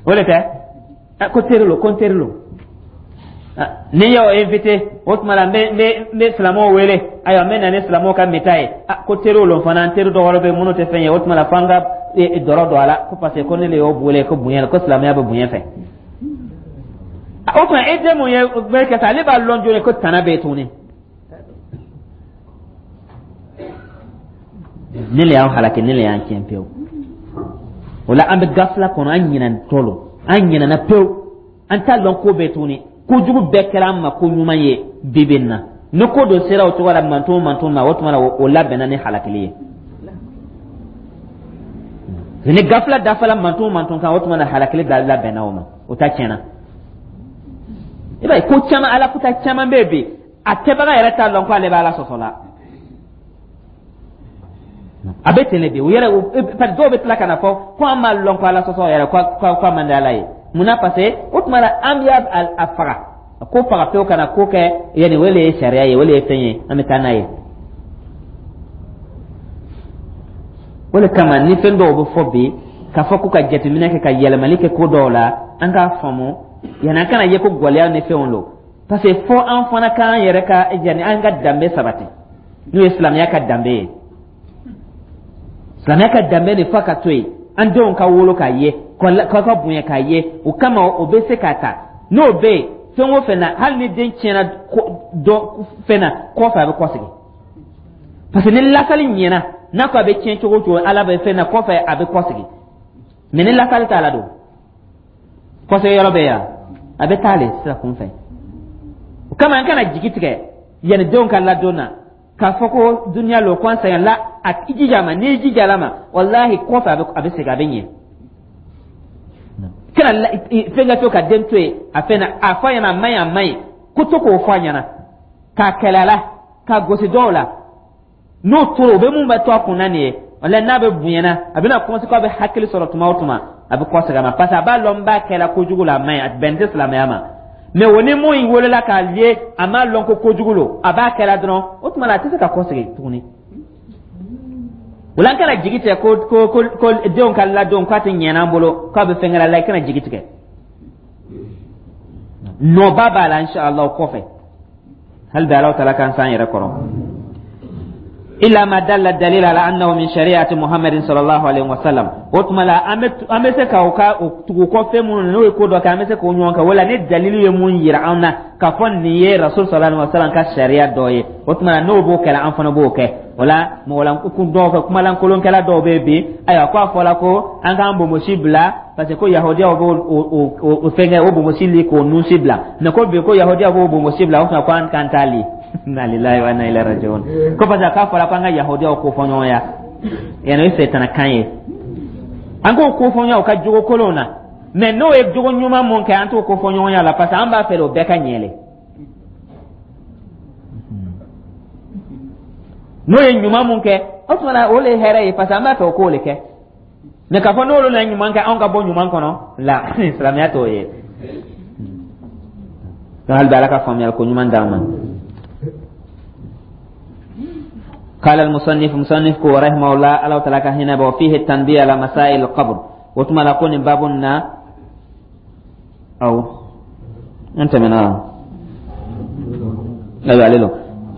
O de tɛ ko teri lo, ko n teri lo. Ni y'o invité, o tuma la n bɛ n bɛ n bɛ silamɛw wele. Ayiwa, n bɛ na ni silamɛw ka mita ye. Ko teriw lo fana, n teri dɔ wɛrɛ bɛ yen minnu tɛ fɛn ye. O tuma la f'an ka dɔrɔ don a la, ko parce que ko ne de y'o wele ko bonya, ko silamɛya bɛ bonya fɛ. O tuma e den mun ye bɛ kɛ sa, ale b'a lɔn joona ko tana bɛ yen tuguni. Ne le y'an halaki, ne le y'an tiɲɛ pewu. O la an bɛ gafila kɔnɔ, an ɲinɛtɔ lo, an ɲinɛna pewu, an t'a lɔn ko bɛɛ tuguni. Kojugu bɛɛ kɛra an ma ko ɲuman ye bi bi in na. Ni ko dɔ sera o cogo la manton manton ma, o tuma na o labɛnna ni halakili ye. Ni gafila dafala manton manton kan, o tuma na halakili labɛnna o ma, o ta tiɲɛna. I b'a ye ko caman, ala kuta caman bɛ yen bi, a kɛbaga yɛrɛ t'a lɔn ko ale bɛ Ala sɔsɔ la. A bɛ ten de bi. U yɛrɛ, parce que dɔw bɛ tila ka na fɔ ko an b'a lɔn ko Ala sɔsɔ yɛrɛ ko ko a man di Ala ye. Munna? Parce que o tuma la an bɛ a faga, ko faga pewu, ka na ko kɛ yanni. O de ye sariya ye, o de ye fɛn ye, an bɛ taa n'a ye. O de kama ni fɛn dɔw bɛ fɔ bi, k'a fɔ ko ka jateminɛ kɛ, ka yɛlɛmali kɛ ko dɔw la, an k'a faamu yanni an kana ye ko gɛlɛya ni fɛnw don. Parce que fo an fana k'an yɛrɛ ka yanni an ka danbe sabati, n'o ye silamɛya ka danbe ye. Silamɛya ka danbe de f'a ka to yen, an denw ka wolo k'a ye, k'a ka bonya k'a ye. O kama o bɛ se k'a ta n'o bɛ yen fɛn o fɛn na. Hali ni den tiɲɛna dɔ fɛn na kɔfɛ, a bɛ kɔsegin, parce que ni lasali ɲɛna, n'a ko a bɛ tiɲɛ cogo o cogo, Ala bɛ fɛn na kɔfɛ, a bɛ kɔsegin. Mɛ ni lasali t'a la don, kɔsegin yɔrɔ bɛ yan, a bɛ taa le sira kun fɛ. O kama an kana jigi tigɛ yanni denw ka ladon na, k'a fɔ ko duniya lo, ko an sɛgɛn la. A jija ma, n'i jija la ma, walahi kɔfɛ a bɛ a bɛ segin, a bɛ ɲɛ. Kana fɛn ka to ka den to yen a fɛn na, a fɔ a ɲɛna a man ɲi, a man ɲi, ko to k'o fɔ a ɲɛna, k'a kɛlɛ a la, k'a gosi dɔw la. N'o tora, o bɛ mun bɛ to a kunna nin ye. Walahi n'a bɛ bonyana, a bɛna commencer k'a bɛ hakili sɔrɔ tuma o tuma, a bɛ kɔsegin a ma, parce que a b'a lɔn n b'a kɛla kojugu la, a man ɲi, a bɛn tɛ silamɛya ma. Mɛ o ni mun wolola k'a ye, a m'a lɔn ko kojugu lo, a b'a kɛla dɔrɔn, o tuma la a tɛ se ka kɔsegin tuguni. O la an kana jigi tigɛ ko ko ko ko denw ka ladon k'a tɛ ɲɛna an bolo, k'a bɛ fɛn kɛra la. I kana jigi tigɛ, nɔba b'a la inshallah o kɔfɛ. Hali bi Ala taala k'an s'an yɛrɛ kɔrɔ. Illa ma dalla dalil ala annahu min shari'ati Muhammadin sallallahu alaihi wasallam. O tuma la an bɛ an bɛ se ka o ka o tugu kɔ fɛn minnu n'o ye ko dɔ kɛ, an bɛ se k'o ɲɔgɔn kɛ. Wala ni dalilu ye mun yira an na k'a fɔ nin ye Rasul sallallahu alaihi wasallam ka sariya dɔ ye, o tuma la n'o b'o kɛla, an fana b'o kɛ. O la mɔgɔlan dɔw fɛ, kumalankolonkɛla dɔw bɛ bi. Ayiwa, ko a fɔla ko an k'an bonbosi bila, parce que ko yahudiyaw b'o o o fɛnkɛ o bonbosi li k'o nunsi bila. Mɛ ko bi ko yahudiyaw b'o bonbosi bila, o tuma ko an k'an t'a li. Inna lillahi wa inna ilaihi raji'un. Ko parce que k'a fɔra ko an ka yahudiyaw ko fɔ ɲɔgɔn ya, yanni o ye sɛtana kan ye. An k'o ko fɔ ɲɔgɔn u ka jogo kolonw na, mɛ n'o ye jogo ɲuman mun kɛ, an t'o ko fɔ ɲɔgɔn ya la, parce que an b'a fɛ de o bɛɛ ka ɲɛlɛ. N'o ye ɲuman mun kɛ, o tuma na o le ye hɛrɛ ye, parce que an b'a fɛ o k'o le kɛ. Mɛ k'a fɔ n'olu na ɲuman kɛ, anw ka bɔ ɲuman kɔnɔ la, silamɛya t'o ye. Donc hali bi Ala ka faamuyali ko ɲuman d'an ma. قال المصنف، مصنف رحمه الله، الله تعالى كهنا وفيه التنبيه على مسائل القبر. وتما لكون بابنا أو أنت من آه لا يعللو.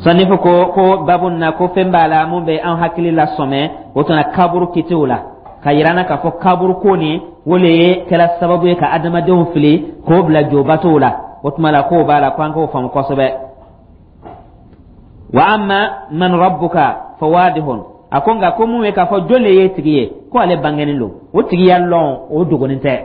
Sanifu ko ko babu na ko fɛn b'a la mun bɛ an hakili la sɔmɛ, o tuma kaburu kitiw la, ka yira an na k'a fɔ kaburu ko nin o le ye kɛra sababu ye ka adamadenw fili k'o bila jobatow la. O tuma la k'o b'a la ko an k'o faamu kosɛbɛ. Wa amma man rabbuka fawadihun. A ko nka ko mun ye k'a fɔ jɔn de ye tigi ye, ko ale bangenen don, o tigiya lɔn, o dogonin tɛ.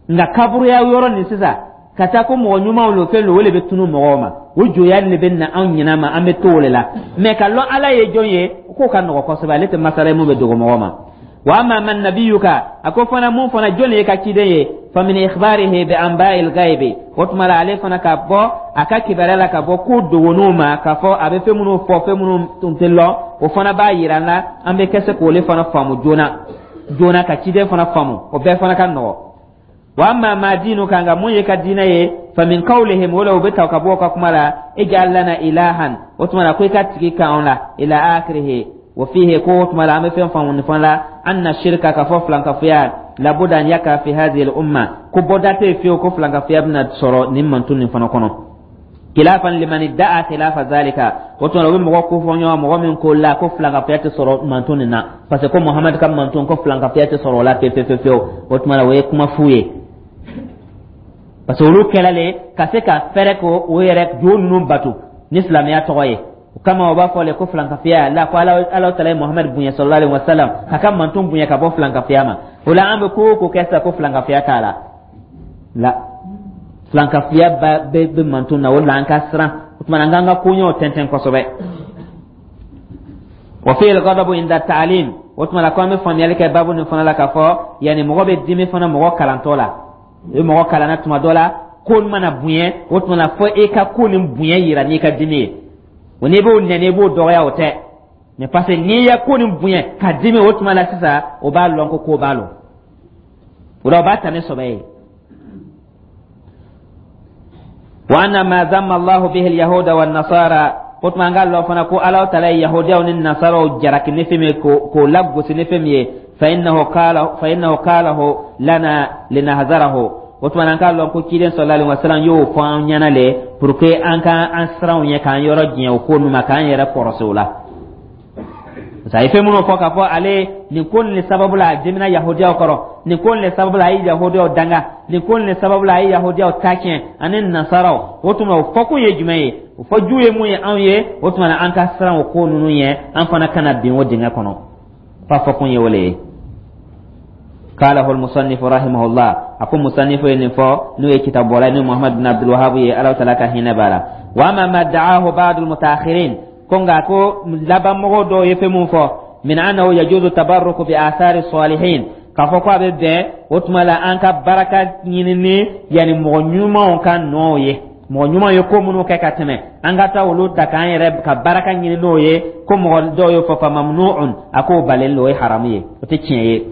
Nka kaburuya yɔrɔ nin sisan ka taa ko mɔgɔ ɲumanw lo, fɛn lo, o de bɛ tunu mɔgɔw ma, o joya de bɛ na anw ɲinɛ ma, an bɛ to o de la. Mɛ ka lɔn Ala ye jɔn ye, k'o ka nɔgɔ kosɛbɛ. Ale tɛ masala ye mun bɛ dogo mɔgɔ ma. Wa amma man nabiyuka, a ko fana mun fana jɔn ye ka ciden ye, fa min ikhbarihi bi anba'il ghaibi. O tuma la ale fana ka bɔ a ka kibaruya la, ka bɔ ko dogonniw ma, k'a fɔ a bɛ fɛn minnu fɔ, fɛn minnu tun tɛ lɔn, o fana b'a yira an na, an bɛ kɛ se k'ole fana faamu joona joona, ka ciden fana faamu, o bɛɛ fana ka nɔgɔ. Wa amma ma dinuka, nka mun ye ka diinɛ ye? Fa min qawlihim, wala u bɛ ta ka bɔ o ka kuma la, ij'al lana ilahan, o tuma na ko i ka tigi k'anw la, ila akhirihi. Wa fihi, ko o tuma la an bɛ fɛn faamu nin fana la, anna shirka, ka fɔ filankafoya, labuda an yaka fi hadhihi al umma, ko bɔda tɛ yen fiyewu ko filankafoya bɛna sɔrɔ nin mantun nin fana kɔnɔ, khilafan liman da'a khilafa zalika. O tuma o bɛ mɔgɔ ko fɔ ɲɔgɔn, mɔgɔ min ko la ko filankafoya tɛ sɔrɔ mantun nin na, parce que ko Muhamadu ka mantun, ko filankafoya tɛ sɔrɔ o la pewu pewu pewu. O tuma o ye kuma fu ye, parce que olu kɛla le ka se ka fɛrɛ ko o yɛrɛ jo ninnu bato ni silamɛya tɔgɔ ye. O kama o b'a fɔ le ko filankafoya la, ko ala ala tala ye Muhamadu bonya, sallallahu alaihi wasallam, ka ka mantun bonya ka bɔ filankafoya ma. O la an bɛ ko o ko kɛ sisan ko filankafoya t'a la la, filankafoya bɛ bɛ mantun na. O la an ka siran. O tuma an k'an ka koɲɛw tɛntɛn kosɛbɛ. Wa fihi al-ghadabu inda ta'lim. O tuma la ko an bɛ faamuyali kɛ baabu nin fana la k'a fɔ yanni mɔgɔ bɛ dimi fana mɔgɔ kalantɔ la. I bɛ mɔgɔ kalanna tuma dɔ la, ko mana bonya, o tuma la fo e ka ko nin bonya yira n'i ka dimi ye. O n'i b'o nɛni, i b'o dɔgɔya, o tɛ. Mais parce que n'i ye ko nin bonya ka dimi, o tuma la sisan o b'a lɔn ko ko b'a lɔn. O la o b'a ta ni sɔbɛ ye. Wa anna ma zamma Allahu bihi al-yahuda wa nasara, o tuma an k'a lɔn fana ko Ala tala ye yahudiyaw ni nasaraw jalaki ni fɛn min ye, k'o lagosi ni fɛn min ye, fa innahu qala fa innahu qalahu lana linahzarahu. O tuma an k'a lɔn ko ciden sallallahu alaihi wasallam y'o fɔ an ɲɛna le pour que an ka an siran ɲɛ, k'an yɔrɔ janya o ko ninnu ma, k'an yɛrɛ kɔrɔsi o la. Parce que a ye fɛn minnu fɔ k'a fɔ ale nin ko nin sababu la a dimina yahudiyaw kɔrɔ, nin ko nin sababu la a ye yahudiyaw danga, nin ko nin sababu la a ye yahudiyaw ta tiɲɛ ani nasaraw, o tuma o fɔkun ye jumɛn ye? O fɔ ju ye mun ye anw ye? O tuma na an ka siran o ko ninnu ɲɛ, an fana kana bin o dingɛ kɔnɔ. F'a fɔkun ye o le ye. قاله المصنف رحمه الله, أكو مصنف ينفو نو كتاب ولا محمد بن عبد الوهاب الله تعالى كهنا بالا. وأما ما دعاه بعض المتأخرين, كونغا كو لبا مغو دو يفهمون فو من أنه يجوز التبرك بآثار الصالحين, k'a fɔ ko a bɛ bɛn o tuma la an ka baraka ɲinini yanni mɔgɔ ɲumanw ka nɔw ye, mɔgɔ ɲumanw ye ko minnu kɛ ka tɛmɛ, an ka taa olu ta k'an yɛrɛ ka baraka ɲini n'o ye, ko mɔgɔ dɔw y'o fɔ, fa mamnu'un, a k'o balen don, o ye haramu ye, o tɛ tiɲɛ ye.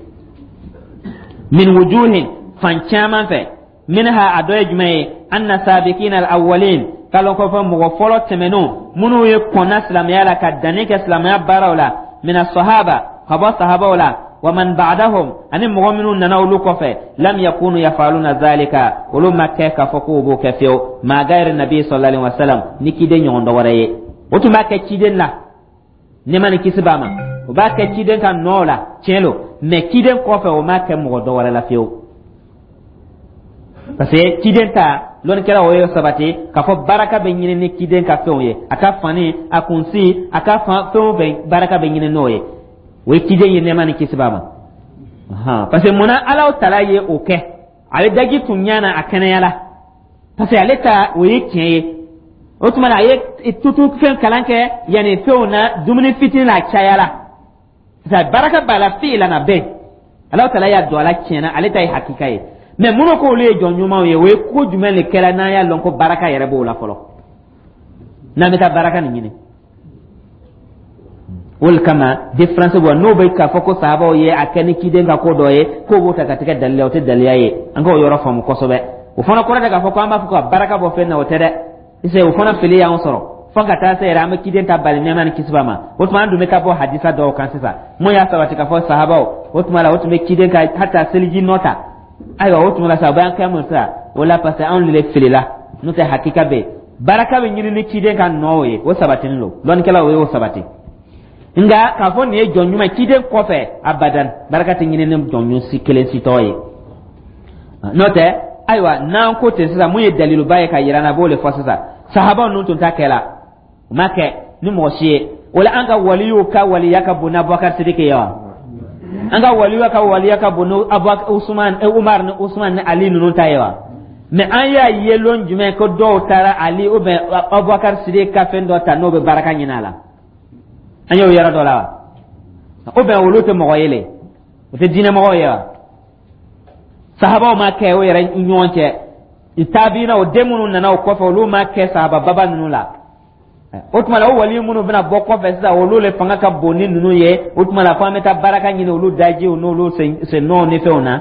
Min wujuhin, fan caman fɛ, minha, a dɔ ye jumɛn ye? Anna sabiqina al-awwalin, k'alɔ kɔfɛ mɔgɔ fɔlɔ tɛmɛnenw minnu ye kɔnna silamɛya la ka danni kɛ silamɛya baaraw la, mina sahaba, ka bɔ sahabaw la, wa man ba'dahum, ani mɔgɔ minnu nana olu kɔfɛ, lam yakunu yafaluna zalika, olu ma kɛ k'a fɔ k'u b'o kɛ fiyewu, ma gayri nabi sallallahu alaihi wasallam, ni ciden ɲɔgɔn dɔ wɛrɛ ye. O tun b'a kɛ ciden la, nɛɛma ni kisi b'a ma, o b'a kɛ ciden ka nɔ la, tiɲɛ lo, mais ciden kɔfɛ o m'a kɛ mɔgɔ dɔ wɛrɛ la fiyewu, parce que ciden ta lɔnnikɛla o ye sabati k'a fɔ baraka bɛ ɲini ni ciden ka fɛnw ye, a ka fani, a kunsi, a ka fɛn o fɛn, baraka bɛ ɲini n'o ye. O ye ciden ye, nɛɛma ni kisi b'a ma. Parce que munna Ala tala ye o kɛ? Ale daji tun ɲana a kɛnɛya la, parce que ale ta o ye tiɲɛ ye. O tuma na a ye tutu fɛn kalan kɛ yanni fɛnw na, dumuni fitinin na a caya la, parce que baraka b'a la fi'lan na bɛɛ. Ala tala y'a don a la tiɲɛ na, ale ta ye hakika ye. Mais minnu ko olu ye jɔn ɲumanw ye, o ye ko jumɛn de kɛra n'an y'a lɔn ko baraka yɛrɛ b'o la fɔlɔ, n'an bɛ taa baraka nin ɲini? O de kama différence bɔ n'o bɛ k'a fɔ ko sahabaw ye a kɛ ni ciden ka ko dɔ ye, k'o b'o ta ka tigɛ dalila, o tɛ dalila ye. An k'o yɔrɔ faamu kosɛbɛ. O fana kɔrɔ tɛ k'a fɔ ko an b'a fɔ ka baraka bɔ fɛn na, o tɛ dɛ. Ise o fana fili y'an sɔrɔ fo ka taa se yɛrɛ an bɛ ciden ta bali, nɛɛma ni kisi b'a ma. O tuma an dun bɛ taa bɔ hadisa dɔw kan sisan mun y'a sabati k'a fɔ sahabaw o tuma la o tun bɛ ciden ka hata seliji nɔ ta. Ayiwa, o tuma la sa o b'an kɛ mun sisan o la? Parce que anw de filila, n'o tɛ hakika bɛ yen, baraka bɛ ɲini ni ciden ka nɔ ye, o sabatinin don, lɔnnikɛlaw o y'o sabati. Nka k'a fɔ nin ye jɔn ɲuman ciden kɔfɛ, abadan, baraka tɛ ɲini ni jɔn ɲuman si kelen si tɔgɔ ye. N'o tɛ, ayiwa, n'an ko ten sisan, mun ye daliluba ye ka yira n na, a b'o de fɔ sisan. Sahabaw ninnu tun t'a kɛ la, u ma kɛ ni mɔgɔ si ye. O la an ka waliw ka waliya ka bon ni Abubakar Sidiki ye wa? An ka waliya ka waliya ka bon ni Usman, Umar ni Usman ni Ali ninnu ta ye wa? Mais an y'a ye lon jumɛn ko dɔw taara Ali ou bien Abubakar Sidiki ka fɛn dɔ ta n'o bɛ baraka ɲini a la? An y'o yɔrɔ dɔ la wa? Ou bien olu tɛ mɔgɔ ye le, o tɛ diinɛ mɔgɔw ye wa? Sahabaw ma kɛ o yɛrɛ ɲɔgɔn cɛ, tabiina o den minnu nana o kɔfɛ, olu ma kɛ sahaba baba ninnu la. O tuma la o wali minnu bɛna bɔ kɔfɛ sisan, olu le fanga ka bon ni ninnu ye. O tuma la fo an bɛ taa baraka ɲini olu dajiw n'olu sennɔw ni fɛnw na.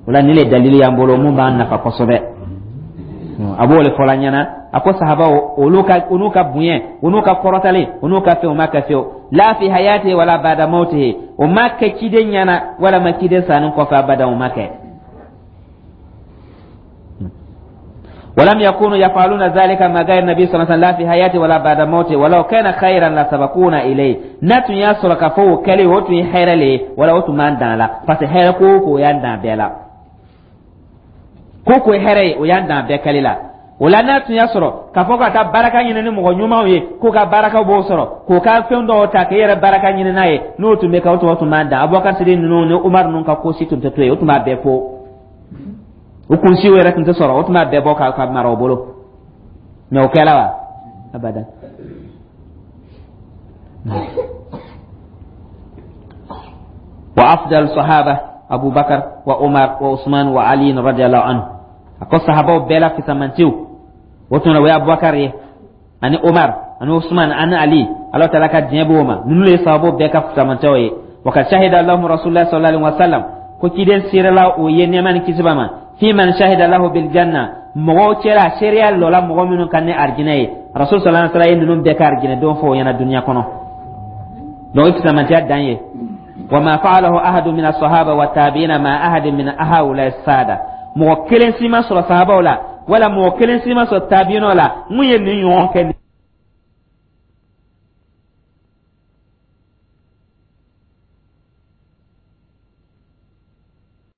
O la, nin le dalili y'an bolo mun b'an nafa kosɛbɛ. A b'o le fɔla ɲɛna. A ko sahabaw, olu ka olu ka bonya, olu ka kɔrɔtali, olu ka fɛn, o ma kɛ fiyewu, la fi hayati wala ba'da mautihi. O ma kɛ ciden ɲɛna walama ciden sanni kɔfɛ, abada, o ma kɛ. ولم يكونوا يفعلون ذلك مع غير النبي صلى الله عليه وسلم، لا في حياته ولا بعد موته، ولو كان خيرا لسبقونا إليه. N'a tun y'a sɔrɔ k'a fɔ o kɛlen o tun ye hɛrɛ le ye, wala o tun b'an dan la, parce que hɛrɛ ko o ko, o y'an dan bɛɛ la. Ko ko ye hɛrɛ ye, o y'an dan bɛɛ kɛli la. O la, n'a tun y'a sɔrɔ k'a fɔ ka taa baraka ɲini ni mɔgɔ ɲumanw ye, k'o ka barakaw b'o sɔrɔ, k'o ka fɛn dɔw ta k'e yɛrɛ baraka ɲini n'a ye, n'o tun bɛ kɛ, o tun o tun b'an dan. Abubakar Sidi ninnu ni Umar ninnu ka ko si tun tɛ to yen, o tun b'a bɛɛ fo, o kunsiw yɛrɛ tun tɛ sɔrɔ, o tun b'a bɛɛ bɔ ka ka mara o bolo. Mɛ o kɛla wa? Abada. Wa afdal sahaba Abu Bakar wa Umar wa Usman wa Ali radiyallahu anhu. A ko sahabaw bɛɛ la fisamantiw, o tun o ye Abubakar ye, ani Umar, ani Usman, ani Ali, Ala taala ka diɲɛ b'o ma. Ninnu ye sahabaw bɛɛ ka fisamantiw ye. Wa kad shahida lahum Rasulullah sallallahu alaihi wasallam, ko ciden seerela o ye, nɛɛma ni kisi b'a ma, fi man shahida lahu bil janna, mɔgɔw cɛla seereya lɔla mɔgɔ minnu kan ni arijinɛ ye. Rasul sallallahu alaihi wasallam ye ninnu bɛɛ ka arijinɛ don fɔ o ɲɛna dunuya kɔnɔ. Donc o fisamantiya dan ye. Wa ma fa'alahu ahadu min as-sahaba wa tabi'ina ma ahadin min haula sada, mɔgɔ kelen si ma sɔrɔ sahabaw la, wala mɔgɔ kelen si ma sɔrɔ tabi'inaw la mun ye nin ɲɔgɔn kɛ.